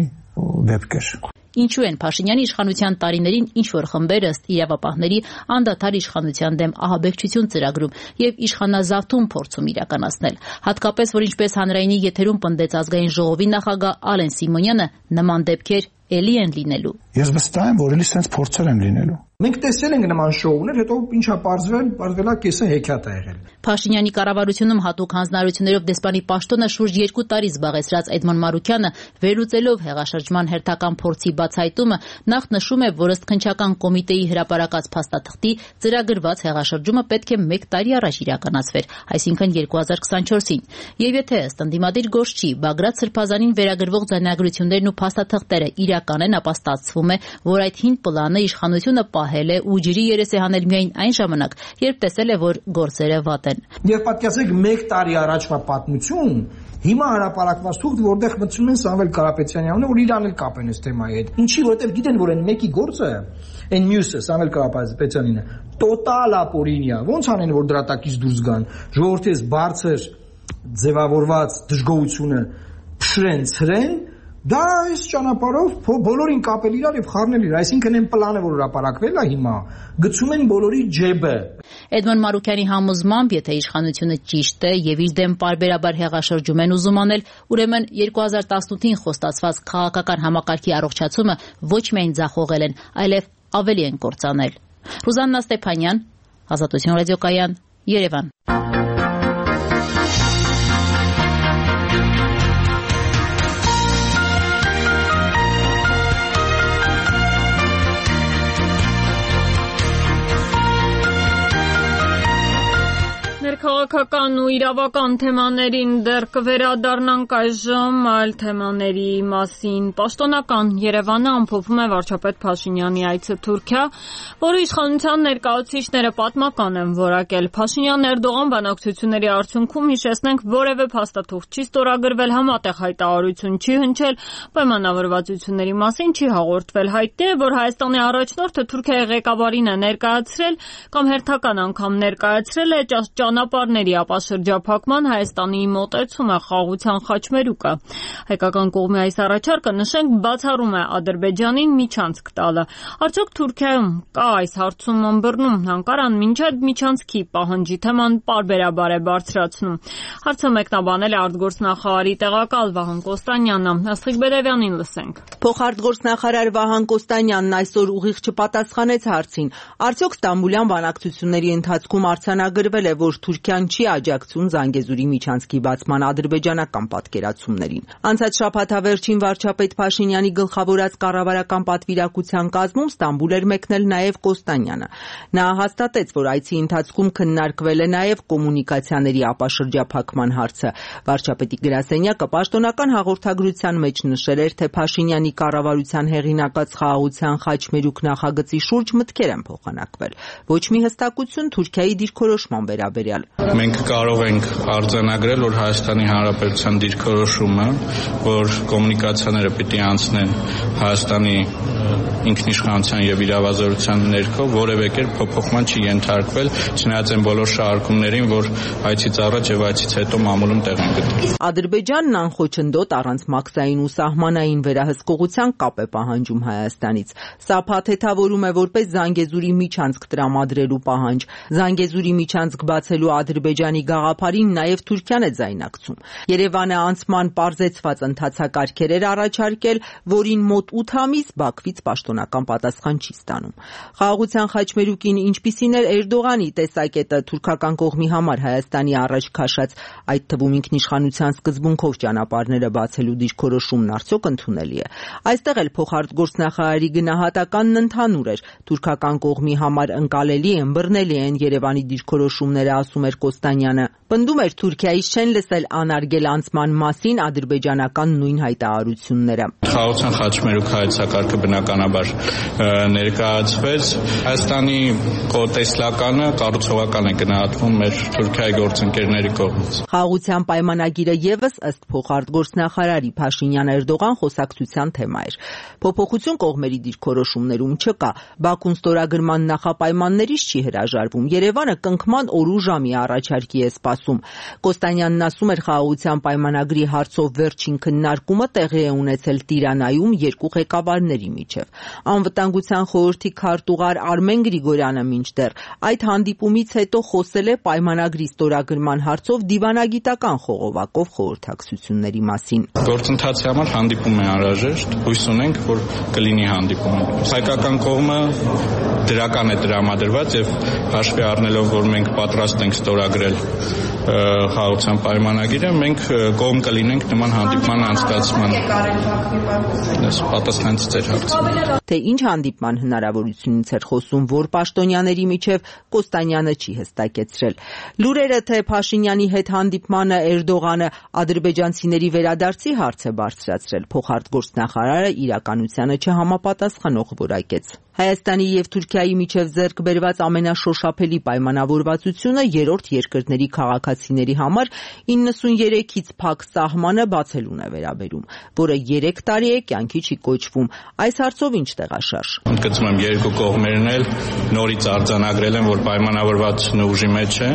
դեպք էր։ Ինչու են Փաշինյանի իշխանության տարիներին ինչ-որ խմբեր ըստ իրավապահների անդադար իշխանության դեմ ահաբեկչություն ծրագրում եւ իշխանազավթում փորձում իրականացնել։ Հատկապես, որ ինչպես հանրայինի եթերում պնդեց ազգային ժողովի նախագահ Ալեն Սիմոնյանը, նման դեպքեր էլի են լինելու։ Ես վստահ եմ, որ էլի sense փորձեր են լինելու։ Մենք տեսել ենք նման շոուներ, հետո ինչա պարզվել է կեսը հեքիաթ է եղել։ Փաշինյանի կառավարությունում հատուկ հանձնարարություններով դեսպանի պաշտոնը շուրջ 2 տարի զբաղեցրած Էդմոն Մարուկյանը վերլուծելով հեղաշրջման հերթական փորձի բացահայտումը նախ նշում է, որ ըստ քննչական կոմիտեի հրապարակած փաստաթղթի ծրագրված հեղաշրջումը պետք է 1 տարի առաջ իրականացվեր, այսինքն 2024-ին։ Եվ եթե ըստ ընդդիմադիր գործչի Բագրատ Սրբազանին վերագրվող ձայնագրություններն ու փաստաթղթերը իրական են, ապա ստացվում է, որ այդ հին պլանը իշխանությունը պահել է ու ջրի երես է հանել միայն այն ժամանակ, երբ տեսել է, որ գործերը վատ են։ Եվ պատկերացրեք 1 տարի առաջվա պատմություն, հիմա հրապարակված թուղթ, որտեղ մտցնում են Սամվել Կարապետյանի անունը, որ իրան էլ կապեն այս թեմայի հետ։ Ինչի, որովհետև գիտեն, որ այն մեկի գործը, այն մյուսը Սամվել Կարապետյանինը, տոտալ ապօրինյա։ Ոնց անեն, որ դրա տակից դուրս գան։ Ժողովրդի այս բարձր ձևավորված դժգոհությունը փշրեն, ցրեն, դա այս ճանապարհով բոլորին կապել իրար եւ խառնել իրար, այսինքն այն պլանը, որ հրապարակվել է հիմա, գցում են բոլորի ջեբը։ Էդմոն Մարուկյանի համոզմամբ, եթե իշխանությունը ճիշտ է եւ իր դեմ պարբերաբար հեղաշրջում են ուզում անել, ուրեմն 2018-ին խոստացված քաղաքական համակարգի առողջացումը ոչ միայն ձախողել են, այլև ավելի են կործանել։ Ռուզաննա Ստեփանյան, Ազատություն ռադիոկայան, Երևան։ Քաղաքական ու իրավական թեմաներին դեռ կվերադառնանք այժմ այլ թեմաների մասին։ Պաշտոնական Երևանը ամփոփում է վարչապետ Փաշինյանի այցը Թուրքիա, որը իշխանության ներկայացուցիչները պատմական են որակել։ Փաշինյան-Էրդողան բանակցությունների արդյունքում, հիշեցնենք, որևէ փաստաթուղթ չի ստորագրվել, համատեղ հայտարարություն չի հնչել, պայմանավորվածությունների մասին չի հաղորդվել։ Հայտնի է, որ Հայաստանի առաջնորդը Թուրքիայի ղեկավարին է ներկայացրել կամ հերթական անգամ ներկայացրել է ճանապարհների ապաշրջափակման Հայաստանի մոտեցումը խաղաղության խաչմերուկը։ Հայկական կողմի այս առաջարկը, նշենք, բացառում է Ադրբեջանին միջանցք տալը։ Արդյոք Թուրքիայում կա այս հարցում ըմբռնում, Անկարան մինչև միջանցքի պահանջի թեման պարբերաբար է բարձրացնում։ Հարցը մեկնաբանել է արտգործնախարարի տեղակալ Վահան Կոստանյանը։ Աստղիկ Բերևյանին լսենք։ Փոխարտգործնախարար Վահան Կոստանյանն այսօր ուղիղ չպատասխանեց հարցին։ Արդյոք Ստամբուլյան բանակցությունների ընթացքում արձանագրվել է, որ Թուրքիան չի աջակցում Զանգեզուրի միջանցքի բացման ադրբեջանական պատկերացումներին։ Անցած շաբաթավերջին վարչապետ Փաշինյանի գլխավորած կառավարական պատվիրակության կազմում Ստամբուլ էր մեկնել նաև Կոստանյանը։ Նա հաստատեց, որ այցի ընթացքում քննարկվել է նաև կոմունիկացիաների ապաշրջափակման հարցը։ Վարչապետի գրասենյակը պաշտոնական հաղորդագրության մեջ նշել էր, թե Փաշինյանի կառավարության հեղինակած խաղաղության խաչմերուկ նախագծի շուրջ մտքեր են փոխանակվել։ Ոչ մի հստակություն Թուրքիայի դիրքորոշման վերաբերյալ։ Մենք կարող ենք արձանագրել, որ Հայաստանի Հանրապետության դիրքորոշումը, որ կոմունիկացիաները պիտի անցնեն Հայաստանի ինքնիշխանության եւ իրավազորության ներքո, որևէ կերպ փոփոխման չի ենթարկվել, չնայած այն բոլոր շարժումներին, որ այցից առաջ եւ այցից հետո մամուլում տեղ են գտել։ Ադրբեջանն անխոչնդոտ առանց մաքսային ու սահմանային վերահսկողության կապ է պահանջում Հայաստանից։ Սա փաթեթավորում է որպես Զանգեզուրի միջանցք տրամադրելու պահանջ։ Զանգեզուրի միջանցք բացելու Ադրբեջանի գաղափարին նաև Թուրքիան է ձայնակցում։ Երևանը անցման պարզեցված ընթացակարգեր էր առաջարկել, որին մոտ 8 ամիս Բաքվից պաշտոնական պատասխան չի ստանում։ Խաղաղության խաչմերուկին ինչպիսին էր Էրդողանի տեսակետը թուրքական կողմի համար Հայաստանի առաջ քաշած, այդ թվում ինքնիշխանության սկզբունքով ճանապարհները բացելու դիրքորոշումն արդյոք ընդունելի է։ Այստեղ էլ փոխարտգործնախարարի գնահատականն ընդհանուր էր։ Թուրքական կողմի համար ընկալելի, ըմբռնելի են Երևանի դիրքորոշումները, ասում էր Կոստանյանը։ Պնդում էր Թուրքիայից չեն լսել անարգել անցման մասին ադրբեջանական նույն հայտարարությունները։ Խաղաղության խաչմերուկ հայեցակարգը բնականաբար ներկայացվեց։ Հայաստանի տեսլականը կառուցողական է գնահատվում մեր Թուրքիայի գործընկերների կողմից։ Խաղաղության պայմանագիրը եւս ըստ փոխարտգործնախարարի Փաշինյան-Էրդողան խոսակցության թեմա էր։ Փոփոխություն կողմերի դիրքորոշումներում չկա։ Բաքուն ստորագրման նախապայմաններից չի հրաժարվում։ Երևանը կնքման օր ու ժամի առաջ առաջարկի է սպասում։ Կոստանյանն ասում էր, խաղաղության պայմանագրի հարցով վերջին քննարկումը տեղի է ունեցել Տիրանայում երկու ղեկավարների միջև։ Անվտանգության խորհրդի քարտուղար Արմեն Գրիգորյանը մինչդեռ այդ հանդիպումից հետո խոսել է պայմանագրի ստորագրման հարցով դիվանագիտական խողովակով խորհրդակցությունների մասին։ Գործընթացի համար հանդիպում է անհրաժեշտ, հույս ունենք, որ կլինի հանդիպում։ Հայկական կողմը դրական է տրամադրված եւ հաշվի առնելով, որ մենք պատրաստ ենք ստորագրել խաղաղության պայմանագիրը, մենք կողմ կլինենք նման հանդիպման անցկացմանը։ Պատասխանեցի ձեր հարցին։ Թե ինչ հանդիպման հնարավորությունից էր խոսում, որ պաշտոնյաների միջև Կոստանյանը չի հստակեցրել։ Լուրերը, թե Փաշինյանի հետ հանդիպմանը Էրդողանը ադրբեջանցիների վերադարձի հարց է բարձրացրել, փոխարտգործնախարարը իրականությանը չհամապատասխանող որակեց։ Հայաստանի եւ Թուրքիայի միջև ձեռք բերված ամենաշոշափելի պայմանավորվածությունը երրորդ երկրների քաղաքացիների համար 93-ից փակ սահմանը բացելուն է վերաբերում, որը 3 տարի է կյանքի չի կոչվում։ Այս հարցով ինչ տեղաշարժ։ Ընդգծում եմ, երկու կողմերն էլ նորից արձանագրել են, որ պայմանավորվածությունը ուժի մեջ է։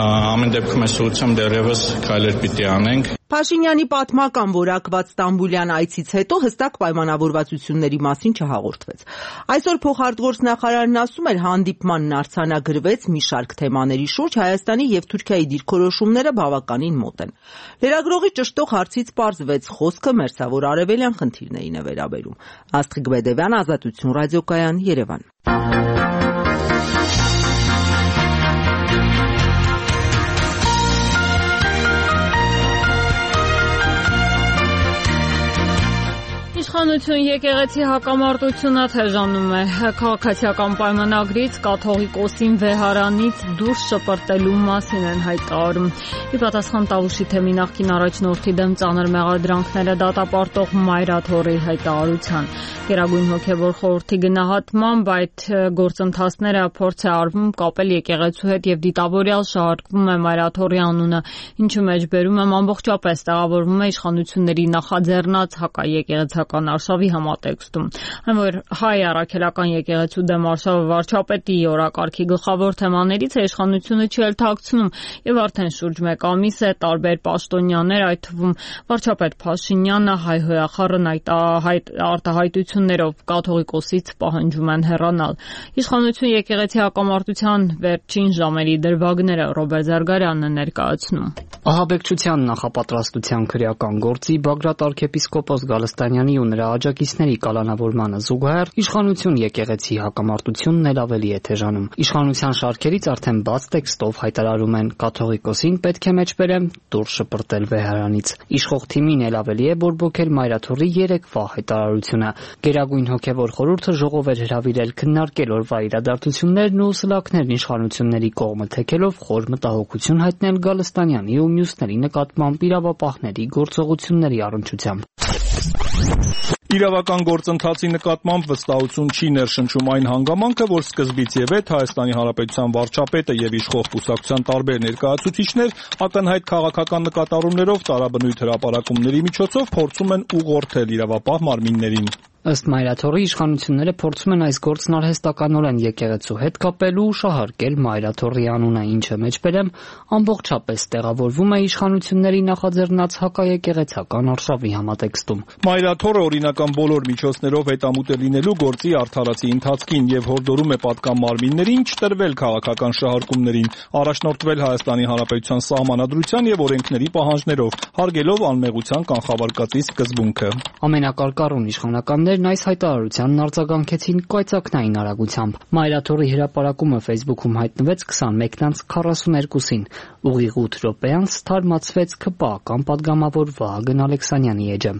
Ամեն դեպքում այս ուղղությամբ դեռևս քայլեր պիտի անենք։ Փաշինյանի պատմական որակված Ստամբուլյան այցից հետո հստակ պայմանավորվածությունների մասին չհաղորդվեց։ Այսօր փոխարտգործնախարարն ասում էր, հանդիպմանն արձանագրվեց մի շարք թեմաների շուրջ, Հայաստանի եւ Թուրքիայի դիրքորոշումները բավականին մոտ են։ Լրագրողի ճշտող հարցից պարզվեց, խոսքը մերձավոր արևելյան խնդիրներին է վերաբերում։ Աստղիկ Բեդևյան, Ազատություն ռադիոկայան, Երևան։ Իշխանություն եկեղեցի հակամարտությունը թեժանում է։ Քաղաքացիական պայմանագրից կաթողիկոսին վեհարանից դուրս շպրտելու մասին են հայտարարում։ Ի պատասխան Տավուշի թեմի նախկին առաջնորդի դեմ ծանր մեղադրանքները դատապարտող Մայրաթորի հայտարարության։ Գերագույն հոգևոր խորհրդի գնահատմամբ այդ գործընթացները փորձ է արվում կապել եկեղեցու հետ եւ դիտավորյալ շահարկվում է Մայրաթորի անունը, ինչու մեջ բերում եմ ամբողջապես տեղավորվում է իշխանությունների նախաձեռնած հակաեկեղեցական արշավի համատեքստում։ Այն որ հայ առաքելական եկեղեցու դեմ արշավը վարչապետի օրակարգի գլխավոր թեմաներից է, իշխանությունը չի էլ թաքցնում եւ արդեն շուրջ 1 ամիս է տարբեր պաշտոնյաներ, այդ թվում վարչապետ Փաշինյանը հայհոյախառն արտահայտություններով կաթողիկոսից պահանջում են հեռանալ։ Իշխանություն եկեղեցի հակամարտության վերջին ժամերի դրվագները Ռոբերտ Զարգարյանն է ներկայացնում։ Ահաբեկչության նախապատրաստության քրեական գործի Բագրատ arczepiskopos Գալստանյանի ու նրա աջակիցների կալանավորմանը զուգահեռ իշխանություն եկեղեցի հակամարտությունն էլ ավելի է թեժանում։ Իշխանության շարքերից արդեն բաց տեքստով հայտարարում են կաթողիկոսին պետք է մեջ բերեմ դուրս շպրտել վեհարանից։ Իշխող թիմին էլ ավելի է բորբոքել Մայրաթորի 3-վա հայտարարությունը։ Գերագույն հոգևոր խորհուրդը ժողով էր հրավիրել քննարկել օրվա իրադարձություններն ու սլաքներն իշխանությունների կողմը թեքելով խոր մտահոգություն հայտնել Գալստանյանի ու մյուսների նկատմամբ իրավապահների գործողությունների առնչությամբ։ Իրավական գործընթացի նկատմամբ վստահություն չի ներշնչում այն հանգամանքը, որ սկզբից եւ հետ Հայաստանի Հանրապետության վարչապետը եւ իշխող կուսակցության տարբեր ներկայացուցիչներ ակնհայտ քաղաքական նկատառումներով տարաբնույթ հրապարակումների միջոցով փորձում են ուղղորդել իրավապահ մարմիններին։ Ըստ Մայրաթորի իշխանությունները փորձում են այս գործն արհեստականորեն եկեղեցու հետ կապելու ու շահարկել Մայրաթորի անունը, ինչը մեջբերեմ ամբողջապես տեղավորվում է իշխանությունների նախաձեռնած հակաեկեղեցական արշավի համատեքստում։ Մայրաթորը օրինական բոլոր միջոցներով հետամուտ է լինելու գործի արդարացի ընթացքին եւ հորդորում է պատկան մարմիններին չտրվել քաղաքական շահարկումներին, առաջնորդվել Հայաստանի Հանրապետության սահմանադրության եւ օրենքների պահանջներով, հարգելով անմեղության կանխավարկածի սկզբունքը։ Ամենակարկառուն իշխանականներն այս հայտարարությանն արձագանքեցին կայծակնային արագությամբ։ Մայրաթորի հրապարակումը Facebook-ում հայտնվեց 21:42-ին։ Ուղիղ 8 րոպե անց թարմացվեց ԿՊԱ-ական падգամավոր Վահագն Ալեքսանյանի էջը։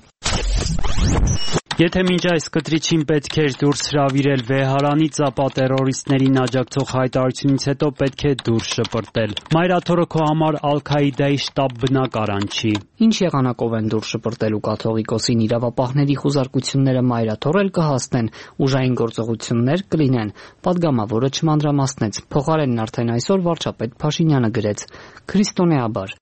Եթե մինչ այս կտրիչին պետք էր դուրս հրավիրել վեհարանից, ապա տերորիստներին աջակցող հայտարարությունից հետո պետք է դուրս շպրտել։ Մայրաթորը քո համար Ալ-Քաիդայի շտաբ բնակարան չի։ Ինչ եղանակով են դուրս շպրտելու կաթողիկոսին իրավապահների խուզարկությունները Մայրաթորել կհասնեն, ուժային գործողություններ կլինեն, падգամավորը չմանրամասնեց։ Փոխարենն արդեն այսօր վարչապետ Փաշինյանը գրեց. Քրիստոնեաբար։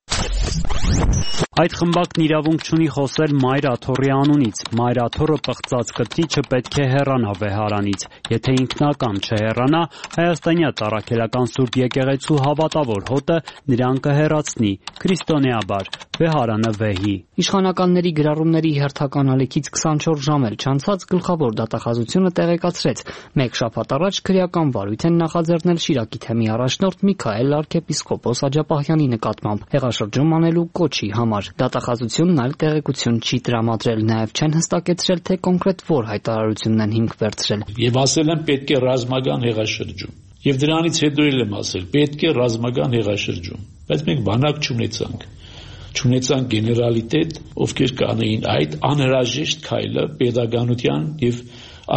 Այդ խմբակն իրավունք չունի խոսել Մայր Աթոռի անունից։ Մայր Աթոռը պղծած կրտիչը պետք է հեռանա վեհարանից։ Եթե ինքնական չհեռանա, հայաստանյա Տառաքելական Սուրբ եկեղեցու հավատավոր հոտը նրան կհեռացնի քրիստոնեաբար վեհարանը վեհի։ Իշխանականների գրառումների հերթական ալիքից 24 ժամ էլ չանցած գլխավոր դատախազությունը տեղեկացրեց. մեկ շաբաթ առաջ քրեական վարույթ են նախաձեռնել Շիրակի թեմի առաջնորդ Միքայել arczepiskopos Աջափահյանի նկատմամբ հեղաշրջում անելու կոչի համար։ Դատախազությունն այլ տեղեկություն չի տրամադրել, նաև չեն հստակեցրել, թե կոնկրետ որ հայտարարությունն են հիմք վերցրել։ Եվ ասել են պետք է ռազմական հեղաշրջում։ Եվ դրանից հետո էլ եմ ասել, պետք է ռազմական հեղաշրջում։ Բայց մենք բանակ չունեցանք գեներալիտետ, ովքեր կանեին այդ անհրաժեշտ քայլը պետականության եւ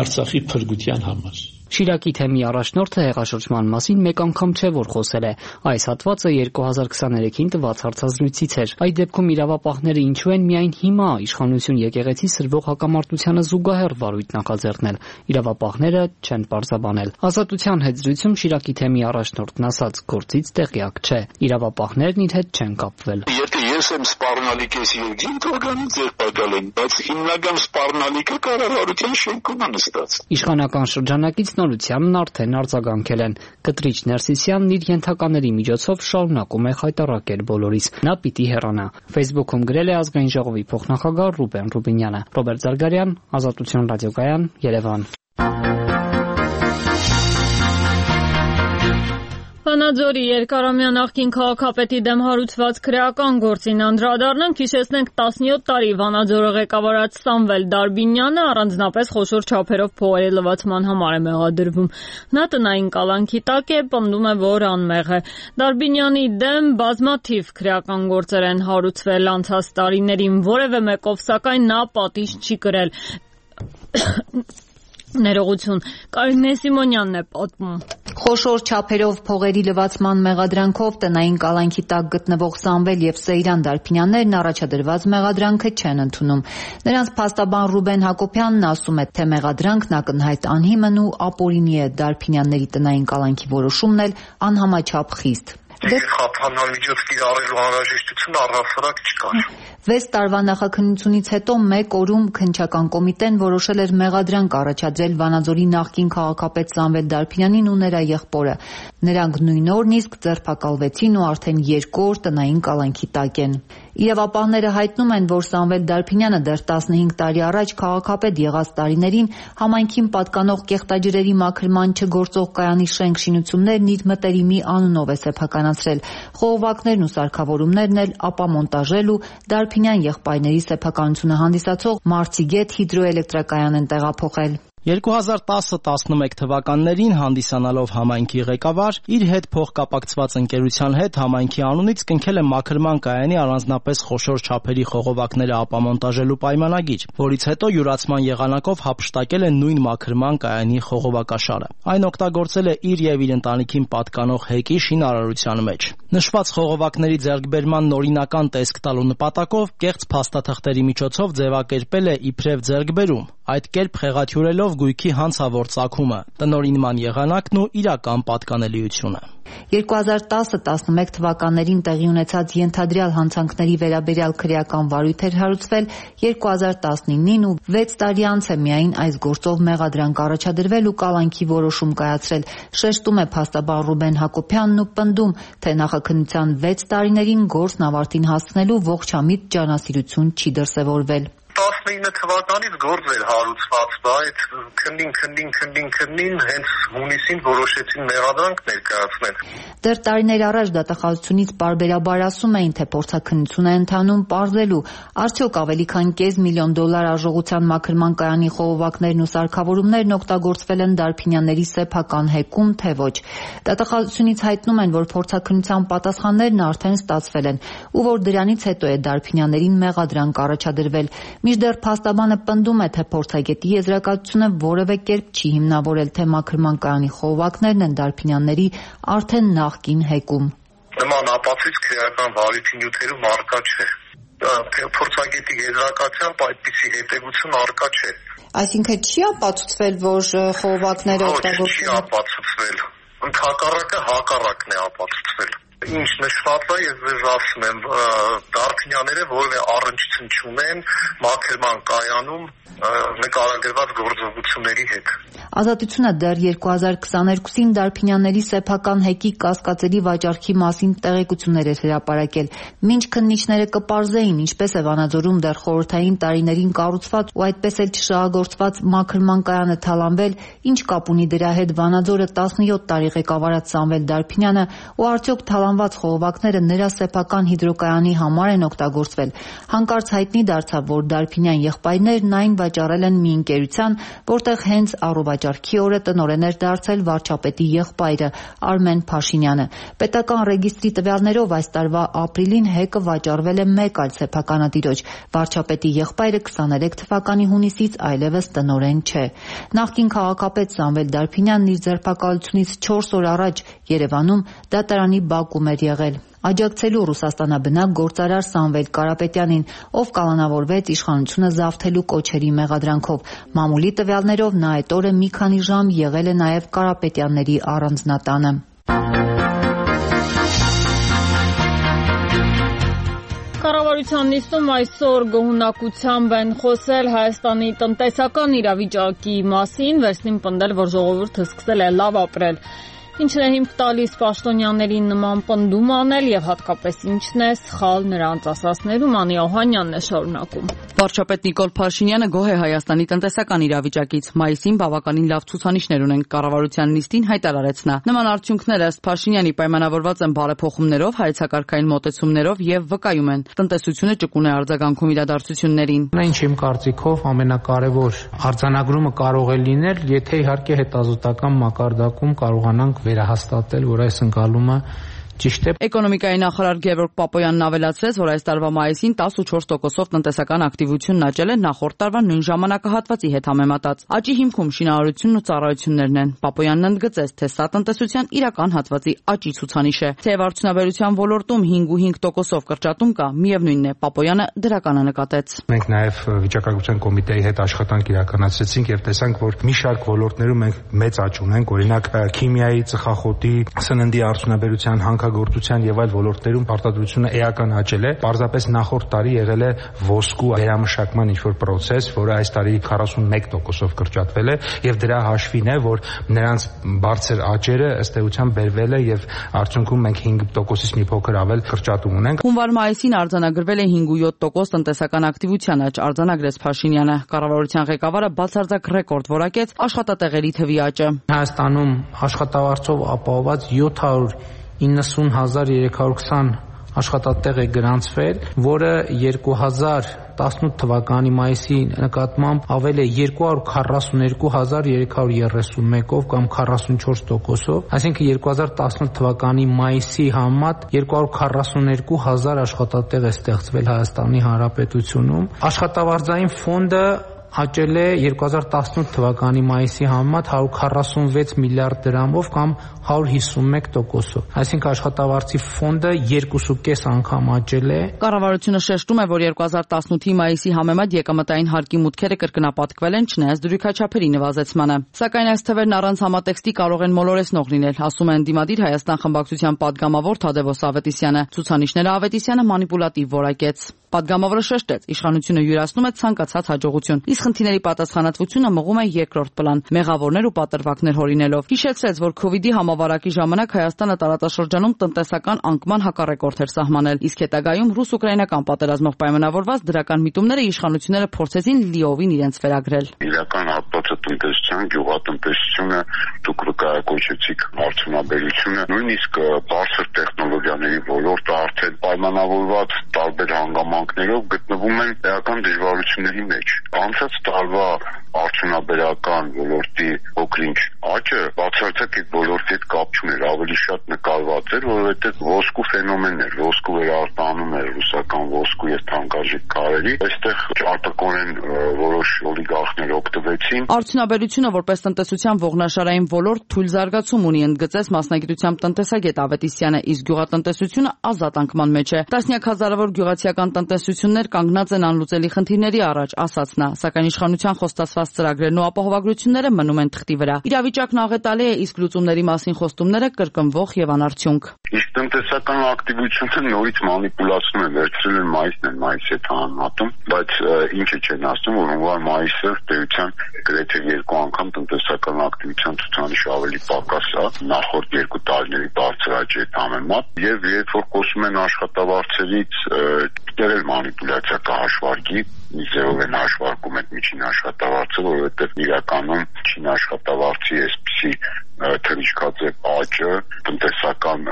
Արցախի փրկության համար։ Շիրակի թեմի առաջնորդը հեղաշրջման մասին մեկ անգամ չէ որ խոսել է։ Այս հատվածը 2023-ին տված հարցազրույցից էր։ Այդ դեպքում իրավապահները ինչու են միայն հիմա իշխանություն եկեղեցի սրվող հակամարտությանը զուգահեռ վարույթ նախաձեռնել։ Իրավապահները չեն պարզաբանել։ Ազատության հետ զրույցում Շիրակի թեմի առաջնորդն ասաց, գործից տեղյակ չէ։ Իրավապահներն իր հետ չեն կապվել։ Եթե ես եմ սպառնալիք ես երկին թողանից ձերբակալ են, բայց հիմնական սպառնալիքը կառավարության շենքում է նստած։ Իշխանական շրջանակից նորությանն արդեն արձագանքել են։ Կտրիչ Ներսիսյանն իր ենթակաների միջոցով շարունակում է խայտառակել բոլորիս։ Նա պիտի հեռանա։ Facebook-ում գրել է Ազգային ժողովի փոխնախագահ Ռուբեն Ռուբինյանը։ Ռոբերտ Զարգարյան, Ազատություն ռադիոկայան, Երևան։ Վանաձորի երկարամյա նախկին քաղաքապետի դեմ հարուցված քրեական գործին անդրադառնանք, հիշեցնենք 17 տարի Վանաձորը ղեկավարած Սամվել Դարբինյանը առանձնապես խոշոր չափերով փողերի լվացման համար է մեղադրվում։ Նա տնային կալանքի տակ է, պնդում է, որ անմեղ է։ Դարբինյանի դեմ բազմաթիվ քրեական գործեր են հարուցվել անցած տարիներին, որևէ մեկով սակայն նա պատիժ չի կրել։ Ներողություն, Կարինե Սիմոնյանն է պատմում։ Խոշոր չափերով փողերի լվացման մեղադրանքով տնային կալանքի տակ գտնվող Սամվել եւ Սեյրան Դարբինյաններն առաջադրված մեղադրանքը չեն ընդունում։ Նրանց փաստաբան Ռուբեն Հակոբյանն ասում է, թե մեղադրանքն ակնհայտ անհիմն ու ապօրինի է, Դարբինյանների տնային կալանքի որոշումն էլ անհամաչափ խիստ։ Խափանալ միջոց կիրառելու անհրաժեշտություն առհասարակ չկար։ 6 տարվա նախաքննությունից հետո մեկ օրում քննչական կոմիտեն որոշել էր մեղադրանք առաջադրել Վանաձորի նախկին քաղաքապետ Սամվել Դարբինյանին ու նրա եղբորը։ Նրանք նույն օրն իսկ ձերբակալվեցին ու արդեն 2 օր տնային կալանքի տակ են։ Իրավապահները հայտնում են, որ Սամվել Դարբինյանը դեռ 15 տարի առաջ քաղաքապետ եղած տարիներին համայնքին պատկանող կեղտաջրերի մաքրման չգործող կայանի շենք շինություններն իր մտերիմի անունով է սեփականացրել։ Խողովակներն ու սարքավորումներն էլ ապամոնտաժել ու Դարբինյան եղբայրների սեփականությունը հանդիսացող Մարցիգետ հիդրոէլեկտրակայան են տեղափոխել։ 2010-11 թվականներին հանդիսանալով համայնքի ղեկավար, իր հետ փոխկապակցված ընկերության հետ համայնքի անունից կնքել է մաքրման կայանի առանձնապես խոշոր չափերի խողովակները ապամոնտաժելու պայմանագիր, որից հետո յուրացման եղանակով հափշտակել է նույն մաքրման կայանի խողովակաշարը։ Այն օգտագործել է իր եւ իր ընտանիքին պատկանող հեկի շինարարության մեջ։ Նշված խողովակների ձեռքբերման նորինական տեսք տալու նպատակով կեղծ փաստաթղթերի միջոցով ձևակերպել է իբրև ձեռքբերում, այդ կերպ խեղաթյուրելով գույքի հանցավոր ծագումը, տնօրինման եղանակն ու իրական պատկանելիությունը։ 2010-11 թվականներին տեղի ունեցած ենթադրյալ հանցանքների վերաբերյալ քրեական վարույթ էր հարուցվել 2019-ին ու 6 տարի անց է միայն այս գործով մեղադրանք առաջադրվել ու կալանքի որոշում կայացրել, շեշտում է փաստաբան Ռուբեն Հակոբյանն ու պնդում, թե նախաքննության 6 տարիներին գործն ավարտին հասցնելու ողջամիտ ջանասիրություն չի դրսևորվել։ 19 թվականից գործ էր հարուցված, բայց քննին հենց հունիսին որոշեցին մեղադրանք ներկայացնել։ Դեռ տարիներ առաջ դատախազությունից պարբերաբար ասում էին, թե փորձաքննություն է ընթանում պարզելու, արդյոք ավելի քան $500,000 արժողության մաքրման կայանի խողովակներն ու սարքավորումներն օգտագործվել են Դարբինյանների սեփական հեկում, թե ոչ։ Դատախազությունից հայտնում են, որ փորձաքննության պատասխաններն արդեն ստացվել են ու որ դրանից հետո է Դարբինյաններին մեղադրանք առաջադրվել։ Մինչդեռ փաստաբանը պնդում է, թե փորձագետի եզրակացությունը որևէ կերպ չի հիմնավորել, թե մաքրման կայանի խողովակներն են Դարբինյանների արդեն նախկին հեկում։ Նման ապացույց քրեական վարույթի նյութերում առկա չէ։ Փորձագետի եզրակացությամբ այդպիսի հետևություն առկա չէ։ Այսինքն չի ապացուցվել, որ խողովակները օգտագործվել։ Չի ապացուցվել։ Հակառակն է ապացուցվել։ Ինչ նշված է, ես ձեզ ասում եմ, Դարփինյանները որևէ առնչություն չունեն մաքրման կայանում նկարագրված գործողությունների հետ։ Ազատությունը դեռ 2022-ին Դարփինյանների սեփական հեկի կասկածելի վաճառքի մասին տեղեկություններ էր հրապարակել։ Մինչ քննիչները կպարզեին ինչպես է Վանաձորում դեռ խորհրդային տարիներին կառուցված ու այդպես էլ չշահագործված մաքրման կայանը թալանվել, ինչ կապ ունի դրա հետ Վանաձորը 17 տարի ղեկավարած Սամվել Դարփինյանը ու արդյոք թալանված խողովակները նրա սեփական հիդրոկայանի համար են օգտագործվել։ Հանկարծ հայտնի դարձավ, որ Դարփինյան եղբայրներն այն վաճառել են մի ընկերության, որտեղ հենց առողջարքի օրը տնօրեն էր դարձել վարչապետի եղբայրը Արմեն Փաշինյանը։ Պետական ռեգիստրի տվյալներով այս տարվա ապրիլին հեկը վաճառվել է մեկ այլ սեփականատիրոջ։ Վարչապետի եղբայրը 23 թվականի հունիսից այլևս տնօրեն չէ։ Նախկին քաղաքապետ Սամվել Դարփինյանն իր ձերբակալությունից 4 օր առաջ Երևանում դատարանի բակում էր եղել, աջակցելու Ռուսաստանաբնակ գործարար Սամվել Կարապետյանին, ով կալանավորվեց իշխանությունը զավթելու կոչերի մեղադրանքով։ Մամուլի տվյալներով նա այդ օրը մի քանի ժամ եղել է նաև Կարապետյանների առանձնատանը։ Կառավարության նիստում այսօր գոհունակությամբ են խոսել Հայաստանի տնտեսական իրավիճակի մասին, վերջին պնդել, որ ժողովուրդը սկսել է լավ ապրել։ Ինչն է հիմք տալիս պաշտոնյաներին նման պնդում անել եւ հատկապես ինչն է սխալ նրանց ասածներում, Անի Օհանյանն է շարունակում։ Վարչապետ Նիկոլ Փաշինյանը գոհ է Հայաստանի տնտեսական իրավիճակից։ Մայիսին բավականին լավ ցուցանիշներ ունեն, կառավարության նիստին հայտարարեց նա։ Նման արդյունքները ըստ Փաշինյանի պայմանավորված են բարեփոխումներով, հայեցակարգային մոտեցումներով եւ վկայում են տնտեսությունը ճկուն է արձագանքում իրադարձություններին։ Ինչ իմ կարծիքով ամենակարևոր արձանագրումը կարող է լինել, եթե իհարկե հետազոտական մակարդակում կարողանանք վերահաստատել, որ այս ընկալումը ճիշտ է։ Էկոնոմիկայի նախարար Գևորգ Պապոյանն ավելացրեց, որ այս տարվա մայիսին 14%-ով տնտեսական ակտիվությունն աճել է նախորդ տարվա նույն ժամանակահատվածի հետ համեմատած։ Աճի հիմքում շինարարությունն ու ծառայություններն են։ Պապոյանն ընդգծեց, թե սա տնտեսության իրական հատվածի աճի ցուցանիշ է։ Թեև արդյունաբերության ոլորտում 5.5%-ով կրճատում կա, միևնույնն է, Պապոյանը դրականը նկատեց։ Մենք նաև վիճակագրության կոմիտեի հետ աշխատանք իրականացրեցինք եւ տեսանք, որ մի շարք ոլորտներում մենք մեծ աճ ունենք, օրինակ քիմիայի, ծխախոտի, սննդի արդյունաբերության, հանքագործության եւ այլ ոլորտներում արտադրությունը էական աճել է։ Պարզապես նախորդ տարի եղել է ոսկու վերամշակման ինչ-որ process, որը այս տարի 41%-ով կրճատվել է եւ դրա հաշվին է, որ նրանց բարձր աճերը ըստ էության բերվել է եւ արդյունքում մենք 5%-ից մի փոքր ավել կրճատում ունենք։ Հունվար-մայիսին արձանագրվել է 5.7% տնտեսական ակտիվության աճ, արձանագրեց Փաշինյանը։ Կառավարության ղեկավարը բացարձակ ռեկորդ որակեց աշխատատեղերի թվի աճը։ Հայաստանում աշխատավարձով ապահովված 790,320 աշխատատեղ է գրանցվել, որը 2018 թվականի մայիսի նկատմամբ ավել է 242,331-ով կամ 44%-ով, այսինքն 2018 թվականի մայիսի համեմատ 242,000 աշխատատեղ է ստեղծվել Հայաստանի Հանրապետությունում։ Աշխատավարձային ֆոնդը աճել է 2018 թվականի մայիսի համեմատ 146 միլիարդ դրամով կամ 151%-ով։ Այսինքն աշխատավարձի ֆոնդը 2.5 անգամ աճել է։ Կառավարությունը շեշտում է, որ 2018-ի մայիսի համեմատ եկամտային հարկի մուտքերը կրկնապատկվել են, չնայած դրույքաչափերի նվազեցմանը։ Սակայն այս թվերն առանց համատեքստի կարող են մոլորեցնող լինել, ասում է ընդդիմադիր Հայաստան խմբակցության падգամավոր Թադևոս Ավետիսյանը։ Ցուցանիշները Ավետիսյանը մանիպուլատիվ որակեց։ Падգամավորը շեշտեց, իշխանությունը յուրացնում է ցանկացած հաջողություն, իսկ խնդիրների պատասխանատվությունը մղում է երկրորդ պլան, մեղավորներ ու պատրվակներ հորինելով։ Հիշեցրեց, որ COVID-ի համավարակի ժամանակ Հայաստանը տարածաշրջանում տնտեսական անկման հակառեկորդ էր սահմանել, իսկ հետագայում ռուս-ուկրաինական պատերազմով պայմանավորված դրական միտումները իշխանությունները փորձեցին լիովին իրենց վերագրել։ Իրական հատվածը տնտեսության, գյուղատնտեսությունը, դուք վկայակոչեցիք արդյունաբերությունը, նույնիսկ բարձր տեխնոլոգիաների ոլորտը արդեն պայմանավորված տարբեր հանգամանքներով գտնվում են էական դժվարությունների մեջ։ Անցած տարվա արդյունաբերական ոլորտի փոքրինչ աճը բացարձակ այդ ոլորտի հետ կապ չուներ, ավելի շատ նկարված էր, որովհետև ոսկու ֆենոմենն էր, ոսկու վերարտանում էր ռուսական ոսկու եւ թանկարժեք քարերի, այստեղ արտակորեն որոշ օլիգարխներ օգտվեցին։ Արդյունաբերությունը որպես տնտեսության ողնաշարային ոլորտ թույլ զարգացում ունի, ընդգծեց մասնագիտությամբ տնտեսագետ Ավետիսյանը, իսկ գյուղատնտեսությունը ազատ անկման մեջ է։ Տասնյակ հազարավոր գյուղացիական տնտեսություններ կանգնած են անլուծելի խնդիրների առաջ, ասաց նա, սակայն սակայն իշխանության խոստացված ծրագրերն ու ապահովագրությունները մնում են թղթի վրա։ Իրավիճակն աղետալի է, իսկ լուծումների մասին խոստումները կրկնվող եւ անարդյունք։ Իսկ տնտեսական ակտիվությունը նորից մանիպուլացնում են, վերցրել են մայիսի հետ համատում, բայց ինչը չեն ասում, որ հունվար-մայիսը տերության գրեթե 2 անգամ տնտեսական ակտիվության ցուցանիշ ավելի պակաս է նախորդ 2 տարիների բարձր աճի հետ համեմատ, եւ երբ որ խոսում են աշխատավարձերից, դեռ մանիպուլյացիա կա հաշվարկի, միզերով են հաշվարկում այդ միջին աշխատավարձը, որովհետեւ իրականում միջին աշխատավարձի այսպիսի թռիչքաձև աճը տնտեսական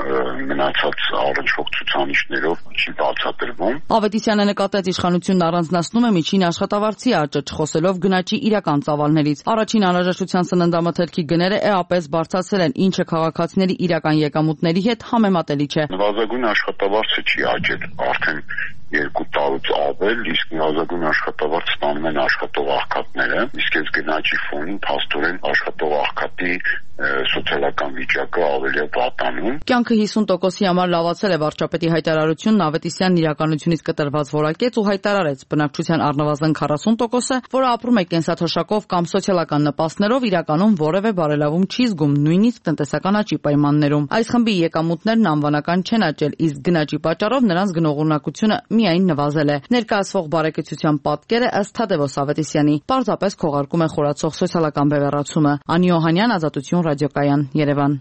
մնացած առնչվող ցուցանիշներով չի բացատրվում։ Ավետիսյանը նկատեց, իշխանությունն առանձնացնում է միջին աշխատավարձի աճը, չխոսելով գնաճի իրական ծավալներից։ Առաջին անհրաժեշտության սննդամթերքի գները էապես բարձրացել են, ինչը քաղաքացիների իրական եկամուտների հետ համեմատելի չէ։ Նվազագույն աշխատավարձը չի աճել արդեն 2 տարուց ավել, իսկ նվազագույն աշխատավարձ ստանում են աշխատող աղքատները, իսկ այս գնաճի ֆոնին փաստորեն աշխատող աղքատի սոցիալական վիճակը ավելի է վատանում։ Կյանքը 50%-ի համար լավացել է վարչապետի հայտարարությունն Ավետիսյանն իրականությունից կտրված որակեց ու հայտարարեց, բնակչության առնվազն 40%-ը, որը ապրում է կենսաթոշակով կամ սոցիալական նպաստներով, իրականում որևէ բարելավում չի զգում, նույնիսկ տնտեսական աճի պայմաններում։ Այս խմբի եկամուտներն անվանական չեն աճել, իսկ գնաճի պատճառով նրանց գնողունակությունը միայն նվազել է։ Ներկայացվող բարեկեցության պատկերը ըստ Թադևոս Ավետիսյանի պարզապես քողարկում է խորացող սոցիալական բևեռացումը։ Անի Օհանյան, Ազատություն ռադիոկայան, Երևան։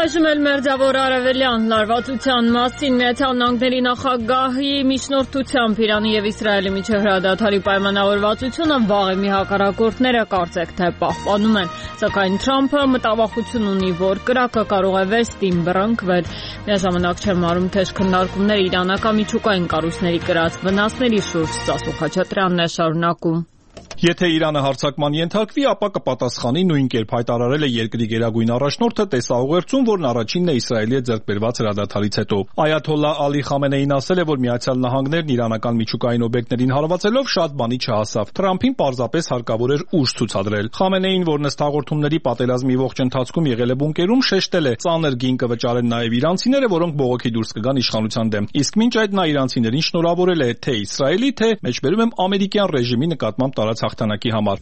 Այժմ էլ Մերձավոր Արևելյան լարվածության մասին Միացյալ Նահանգների նախագահի միջնորդությամբ Իրանի եւ Իսրայելի միջև հրադադարի պայմանավորվածությունը վաղեմի մի հակառակորդները կարծեք թե պահպանում են, սակայն Թրամփը մտավախություն ունի, որ կրակը կարող է վերստին բռնկվել։ Միաժամանակ չեմ մարում թեժ քննարկումներ իրանական միջուկային կառույցների կրած վնասների շուրջ։ Սասու Խաչատրյանն է շարունակում։ Եթե Իրանը հարձակման ենթարկվի, ապա կպատասխանի նույն կերպ հայտարարել է երկրի գերագույն առաջնորդը տեսաուղերձում, որն առաջինն է Իսրայելի հետ ձեռք բերված հրադադարից հետո։ Այաթոլլահ Ալի Խամենեին ասել է, որ Միացյալ Նահանգներն իրանական միջուկային օբյեկտներին հարվածելով շատ բանի չհասավ։ Թրամփին պարզապես հարկավոր էր ուժ ցուցադրել։ Խամենեին, որն ըստ հաղորդումների պատերազմի ողջ ընթացքում եղել է բունկերում, շեշտել է, ծանր գին կվճարեն նաև իրանցիները, որոնք բողոքի դուրս կգան իշխանության դեմ։ Իսկ մինչ այդ նա իրանցիներին շնորհավորել է թե Իսրայելի, թե մեջբերում եմ ամերիկյան ռեժիմի նկատմամբ տարած հաղթանակի համար։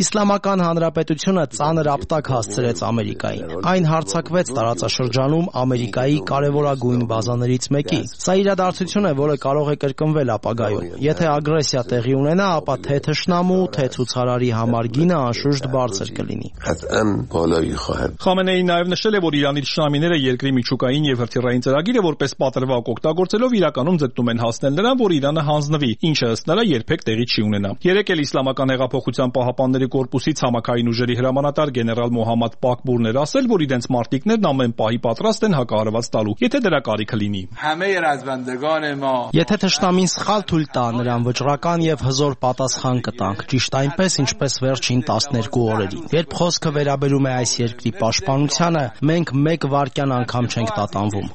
Իսլամական Հանրապետությունը ծանր ապտակ հասցրեց Ամերիկային։ Այն հարձակվեց տարածաշրջանում Ամերիկայի կարևորագույն բազաներից մեկի։ Սա իրադարձություն է, որը կարող է կրկնվել ապագայում։ Եթե ագրեսիա տեղի ունենա, ապա թե թշնամու, թե ցուցարարի համար գինը անշուշտ բարձր կլինի։ Խամենեին նաև նշել է, որ Իրանի թշնամիները երկրի միջուկային եւ հրթիռային ծրագիրը որպես պատրվակ օգտագործելով իրականում ձգտում են հասնել նրան, որ Իրանը հանձնվի, ինչը ըստ նրա երբեք տեղի չի ունենա։ Երեկ էլ Իսլամական հեղափոխության պահապանների կորպուսի ցամաքային ուժերի հրամանատար գեներալ Մոհամմադ Պակբուրն էր ասել, որ իրենց մարտիկներն ամեն պահի պատրաստ են հակահարված տալու, եթե դրա կարիքը լինի։ Եթե թշնամին սխալ թույլ տա, նրան վճռական եւ հզոր պատասխան կտանք, ճիշտ այնպես, ինչպես վերջին 12 օրերին։ Երբ խոսքը վերաբերում է այս երկրի պաշտպանությանը, մենք մեկ վայրկյան անգամ չենք տատանվում։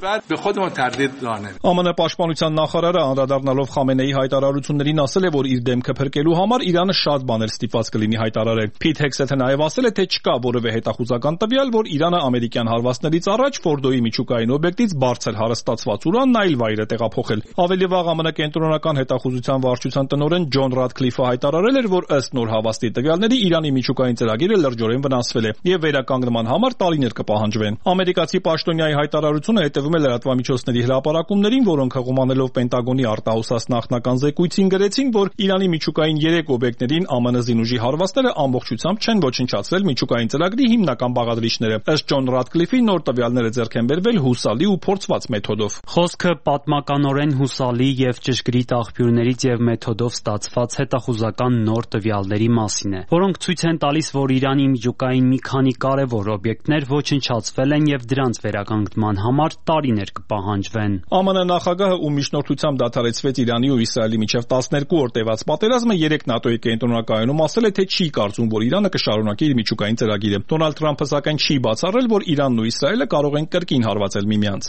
ԱՄՆ պաշտպանության նախարարը անդրադառնալով Խամենեի հայտարարություններին ասել է, որ իր դեմքը փրկելու համար Իրանը շատ բաներ ստիպված կլինի հայտարարել։ Փիթ Հեքսեթը նաև ասել է, թե չկա որևէ հետախուզական տվյալ, որ Իրանը ամերիկյան հարվածներից առաջ Ֆորդոյի միջուկային օբյեկտից բարձր հարստացված ուրանն այլ վայր է տեղափոխել։ Ավելի վաղ ԱՄՆ կենտրոնական հետախուզության վարչության տնօրեն Ջոն Ռադքլիֆը հայտարարել էր, որ ըստ նոր հավաստի տվյալների Իրանի միջուկային ծրագիրը լրջորեն վնասվել է եւ վերականգնման համար տարիներ կպահանջվեն։ Ամերիկացի պաշտոնյայի հայտարարությունը հետևում է լրատվամիջոցների հրապարակումներին, որոնք հղումանելով Պենտագոնի արտահոսած նախնական զեկույցին գրեցին, որ Իրանի միջուկային 3 օբյեկտներին ԱՄՆ զինուժի հարվածները ամբողջությամբ չեն ոչնչացրել միջուկային ծրագրի հիմնական բաղադրիչները։ Ըստ Ջոն Ռադքլիֆի նոր տվյալները ձեռք են բերվել հուսալի ու փորձված մեթոդով։ Խոսքը պատմականորեն հուսալի եւ ճշգրիտ աղբյուրներից եւ մեթոդով ստացված հետախուզական նոր տվյալների մասին է, որոնք ցույց են տալիս, որ Իրանի միջուկային մի քանի կարևոր օբյեկտներ ոչնչացվել են եւ դրանց վերականգնման համար տարիներ կպահանջվեն։ ԱՄՆ նախագահը, ում միջնորդությամբ դադարեցվեց Իրանի ու Իսրայելի միջև 12 օր որ տևած պատերազմը 3 ՆԱՏՕ-ի կենտրոնակայանում ասել է, թե չի կարծում, որ Իրանը կշարունակի իր միջուկային ծրագիրը։ Դոնալդ Թրամփը սակայն չի բացառել, որ Իրանն ու Իսրայելը կարող են կրկին հարվածել միմյանց։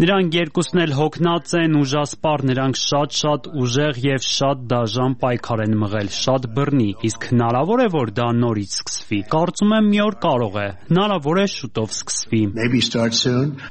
Նրանք երկուսն էլ հոգնած են, ուժասպառ, նրանք շատ ուժեղ եւ շատ դաժան պայքար են մղել, շատ բռնի, իսկ հնարավոր է, որ դա նորից սկսվի։ Կարծում եմ մի օր կարող է, հնարավոր է շուտով սկսվի։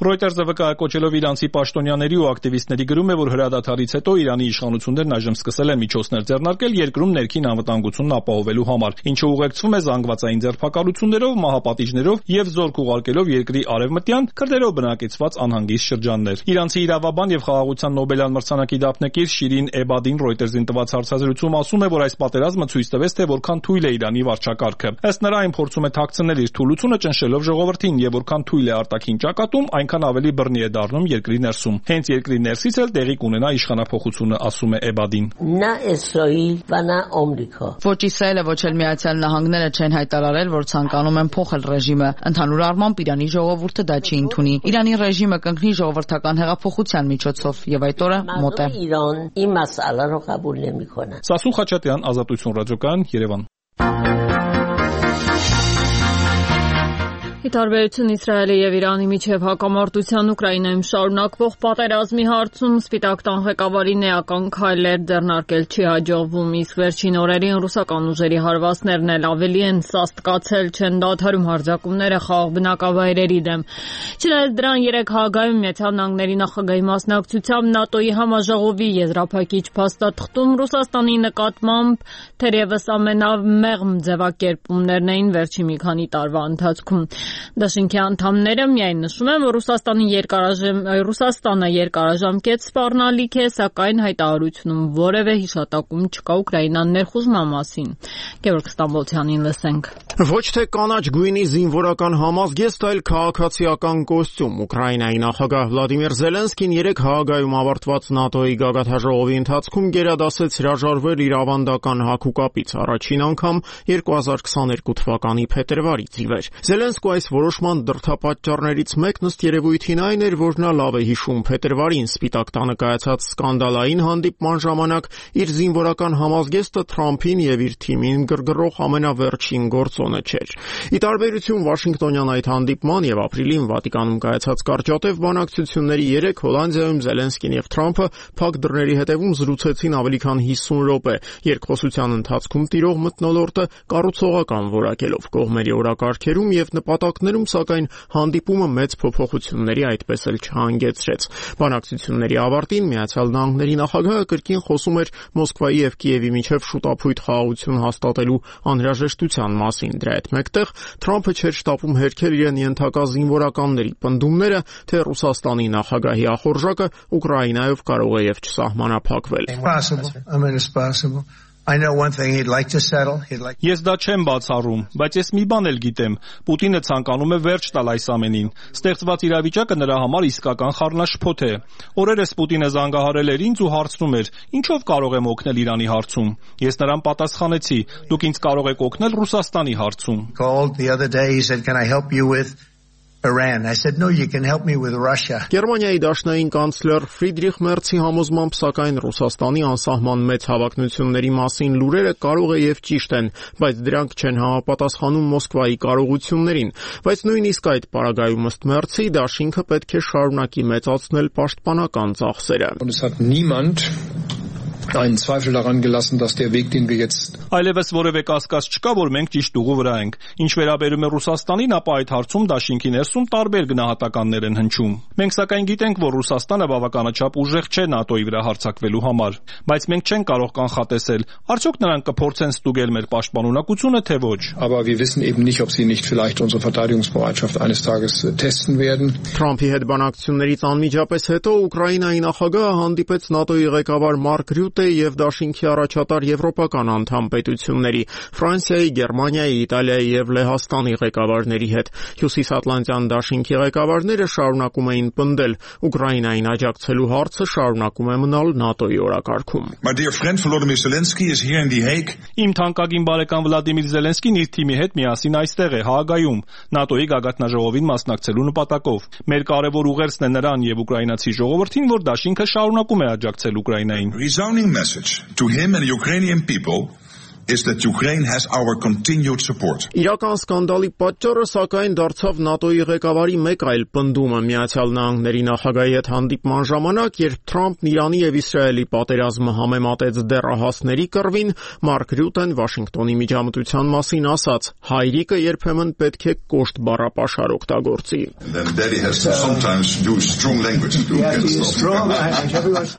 Reuters-ը վկայակոչելով իրանցի պաշտոնյաների ու ակտիվիստների գրում է, որ հրադադարից հետո Իրանի իշխանություններն այժմ սկսել են միջոցներ ձեռնարկել երկրում ներքին անվտանգությունն ապահովելու համար, ինչը ուղեկցվում է զանգվածային ձերբակալություններով, մահապատիժներով եւ զորք ուղարկելով երկրի արևմտյան քրդերով բնակեցված անհանգիստ շրջաններ։ Իրանցի իրավաբան եւ խաղաղության Նոբելյան մրցանակի դափնեկիր Շիրին Էբադին Reuters-ին տված հարցազրույցում ասում է, որ այս պատերազմը ցույց տվեց, թե որքան թույլ է Իրանի վարչակարգը։ Ըստ նրա, այն փորձում է թաքցնել իր թուլությունը ճնշելով ժողովրդին եւ որքան թույլ է արտաքին ճակատում, այնքան ավելի բռնի է դառնում երկրի ներսում։ Հենց երկրի ներսից էլ տեղի կունենա իշխանափոխությունը, ասում է Էբադին։ Ոչ Իսրայելը, ոչ էլ Միացյալ Նահանգները չեն հայտարարել, որ ցանկանում են փոխել ռեժիմը։ Ընդհանուր առմամբ Իրանի ժողովուրդը դա չի ընդունի։ Իրանի ռեժիմը կընկնի ժողովրդական հեղափոխության միջոցով եւ այդ օրը մոտ է։ Սասուն Խաչատյան, Ազատություն ռադիոկայան, Երևան։ Ի տարբերություն Իսրայելի եւ Իրանի միջև հակամարտության Ուկրաինայում շարունակվող պատերազմի հարցում Սպիտակ տան ղեկավարին էական քայլեր ձեռնարկել չի հաջողվում, իսկ վերջին օրերին ռուսական ուժերի հարվածներն էլ ավելի են սաստկացել, չեն դադարում հարձակումները խաղաղ բնակավայրերի դեմ։ Չնայած դրան 3 Հաագայում Միացյալ Նահանգների նախագահի մասնակցությամբ ՆԱՏՕ-ի համաժողովի եզրափակիչ փաստաթղթում Ռուսաստանի նկատմամբ թերևս ամենամեղմ ձևակերպումներն էին վերջին մի քանի տարվա ընթացքում։ Դաշինքի անդամները միայն նշում են, որ Ռուսաստանը երկարաժամկետ սպառնալիք է, սակայն հայտարարությունում որևէ հիշատակում չկա Ուկրաինան ներխուժման մասին։ Գևորգ Ստամբոլցյանին լսենք։ Ոչ թե կանաչ գույնի զինվորական համազգեստ, այլ քաղաքացիական կոստյում։ Ուկրաինայի նախագահ Վլադիմիր Զելենսկին 3 Հաագայում ավարտված ՆԱՏՕ-ի գագաթնաժողովի ընթացքում գերադասեց հրաժարվել իր ավանդական հագուկապից առաջին անգամ 2022 թվականի փետրվարից ի վեր։ Զելենսկու այս որոշման դրդապատճառներից մեկն ըստ երևույթին այն էր, որ նա լավ է հիշում փետրվարին Սպիտակ տանը կայացած սկանդալային հանդիպման ժամանակ իր զինվորական համազգեստը Թրամփին եւ իր թիմին գրգռող ամենավերջին գործոնը չէր։ Ի տարբերություն Վաշինգտոնյան այդ հանդիպման եւ ապրիլին Վատիկանում կայացած կարճատև բանակցությունների 3 Հոլանդիայում Զելենսկին եւ Թրամփը փակ դռների հետևում զրուցեցին ավելի քան 50 րոպե, երկխոսության ընթացքում տիրող մթնոլորտը կառուցողական որակելով կողմերի օրակարգերում եւ նպատակներում, սակայն հանդիպումը մեծ փոփոխությունների այդպես էլ չհանգեցրեց։ Բանակցությունների ավարտին Միացյալ Նահանգների նախագահը կրկին խոսում էր Մոսկվայի եւ Կիևի միջև շուտափույթ խաղաղություն հաստատելու անհրաժեշտության մասին։ Դրա հետ մեկտեղ Թրամփը չէր շտապում հերքել իրեն ենթակա զինվորականների պնդումները, թե Ռուսաստանի նախագահի ախորժակը Ուկրաինայով կարող է եւ չսահմանափակվել։ Ես դա չեմ բացառում, բայց ես մի բան էլ գիտեմ. Պուտինը ցանկանում է վերջ տալ այս ամենին։ Ստեղծված իրավիճակը նրա համար իսկական խառնաշփոթ է։ Օրերս Պուտինը զանգահարել էր ինձ ու հարցնում էր. «Ինչով կարող եմ օգնել Իրանի հարցում»։ Ես նրան պատասխանեցի. «Դուք ինձ կարող եք օգնել Ռուսաստանի հարցում»։ Iran. I said, no, you can help me with Russia. Գերմանիայի դաշնային կանցլեր Ֆրիդրիխ Մերցի համոզմամբ սակայն Ռուսաստանի անսահման մեծ հավակնությունների մասին լուրերը կարող է եւ ճիշտ են, բայց դրանք չեն համապատասխանում Մոսկվայի կարողություններին, բայց նույնիսկ այդ պարագայում ըստ Մերցի դաշինքը պետք է շարունակի մեծացնել պաշտպանական ծախսերը։ einen Zweifel daran gelassen, dass der Weg, den wir jetzt Այլևս որևէ կասկած չկա, որ մենք ճիշտ ուղու վրա ենք։ Ինչ վերաբերում է Ռուսաստանին, ապա այդ հարցում դաշինքի ներսում տարբեր գնահատականներ են հնչում։ Մենք սակայն գիտենք, որ Ռուսաստանը բավականաչափ ուժեղ չէ ՆԱՏՕ-ի վրա հարձակվելու համար, բայց մենք չենք կարող կանխատեսել, արդյոք նրանք կփորձեն ստուգել մեր պաշտպանունակությունը, թե ոչ։ Aber wir wissen eben nicht, ob sie nicht vielleicht unsere Verteidigungsbereitschaft eines Tages testen werden. Թրամփի հետ բանակցություններից անմիջապես հետո Ուկրաինայի նախագահը հանդիպեց ՆԱՏՕ-ի ղեկավար Մարկ ՏՏ եւ Դաշինքի առաջատար եվրոպական անդամ պետությունների, Ֆրանսիայի, Գերմանիայի, Իտալիայի եւ Լեհաստանի ղեկավարների հետ։ Հյուսիսատլանտյան Դաշինքի ղեկավարները շարունակում էին պնդել, Ուկրաինային աջակցելու հարցը շարունակում է մնալ ՆԱՏՕ-ի օրակարգում։ Իմ թանկագին բարեկամ Վլադիմիր Զելենսկին իր թիմի հետ միասին այստեղ է, Հաագայում, ՆԱՏՕ-ի գագաթնաժողովին մասնակցելու նպատակով։ Մեր կարևոր ուղերձն է նրան եւ ուկրաինացի ժողովրդին, որ Դաշինքը շարունակում է աջակցել Ուկրաինային։ is that Ukraine has our continued support. Իրական սկանդալի պատճառը սակայն դարձավ ՆԱՏՕ-ի ղեկավարի մեկ այլ պնդումը Միացյալ Նահանգների նախագահի հետ հանդիպման ժամանակ, երբ Թրամփն Իրանի եւ Իսրայելի պատերազմը համեմատեց դեռահասների կռվին, Մարկ Ռյուտեն Վաշինգտոնի միջամտության մասին ասաց. հայրիկը երբեմն պետք է կոշտ բառապաշար օգտագործի։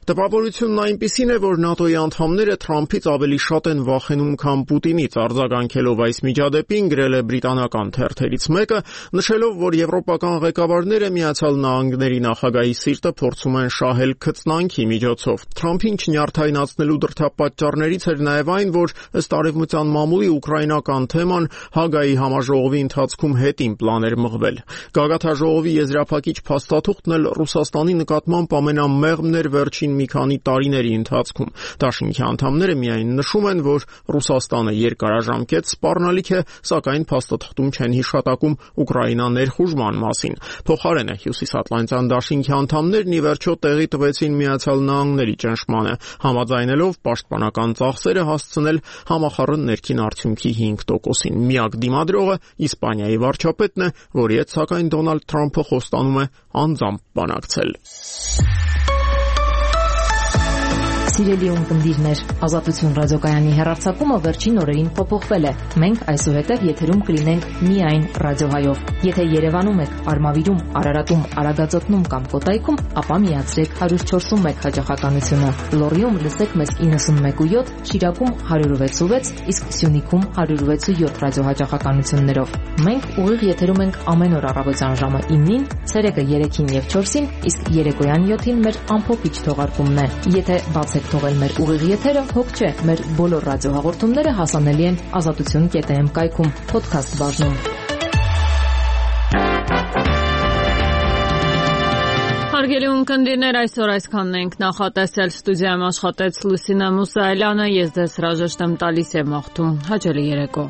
Տպավորությունն այնպիսին է, որ ՆԱՏՕ-ի անդամները Թրամփից ավելի շատ են վախենում քան Պուտինից, արձագանքելով այս միջադեպին, գրել է բրիտանական թերթերից մեկը, նշելով, որ եվրոպական ղեկավարները Միացյալ Նահանգների նախագահի սիրտը փորձում են շահել քծնանքի միջոցով։ Թրամփին չնյարդայնացնելու դրդապատճառներից էր նաև այն, որ ըստ Արևմտյան մամուլի ուկրաինական թեման Հագայի համաժողովի ընթացքում հետին պլան էր մղվել։ Գագաթնաժողովի եզրափակիչ փաստաթուղթն էլ Ռուսաստանի նկատմամբ ամենամեղմն էր վերջին մի քանի տարիների ընթացքում։ Դաշինքի անդամները միայն նշում են, որ Ռուսաստանը երկարաժամկետ սպառնալիք է, սակայն փաստաթղթում չեն հիշատակում Ուկրաինա ներխուժման մասին։ Փոխարենը Հյուսիսատլանտյան Դաշինքի անդամներն ի վերջո տեղի տվեցին Միացյալ Նահանգների ճնշմանը, համաձայնելով պաշտպանական ծախսերը հասցնել համախառն ներքին արդյունքի 5%-ին։ Միակ դիմադրողը Իսպանիայի վարչապետն է, որի հետ սակայն Դոնալդ Թրամփը խոստանում է անձամբ բանակցել։ Սիրելի ունկնդիրներ, Ազատություն ռադիոկայանի հեռարձակումը վերջին օրերին փոփոխվել է։ Մենք այսուհետև եթերում կլինենք միայն ռադիոհայով։ Եթե Երևանում եք, Արմավիրում, Արարատում, Արագածոտնում կամ Կոտայքում, ապա միացրեք 104.1 հաճախականությունը։ Լոռիում լսեք մեզ 91.7, Շիրակում 106.6, իսկ Սյունիքում 106.7 ռադիոհաճախականություններով։ Մենք ուղիղ եթերում ենք ամեն օր առավոտյան ժամը 9-ին, ցերեկը 3-ին եւ 4-ին, իսկ երեկոյան 7-ին մեր ամփոփիչ թողարկումն է։ Եթե բացեք թողել մեր ուղիղ եթերը, հոգ չէ, մեր բոլոր ռադիոհաղորդումները հասանելի են azatutun.am կայքում, podcast բաժնում։ Հարգելի ունկնդիրներ, այսօր այսքանն ենք նախատեսել։ Ստուդիայում աշխատեց Լուսինե Մուսայելյանը, ես ձեզ հրաժեշտ եմ տալիս եւ մաղթում հաճելի երեկո։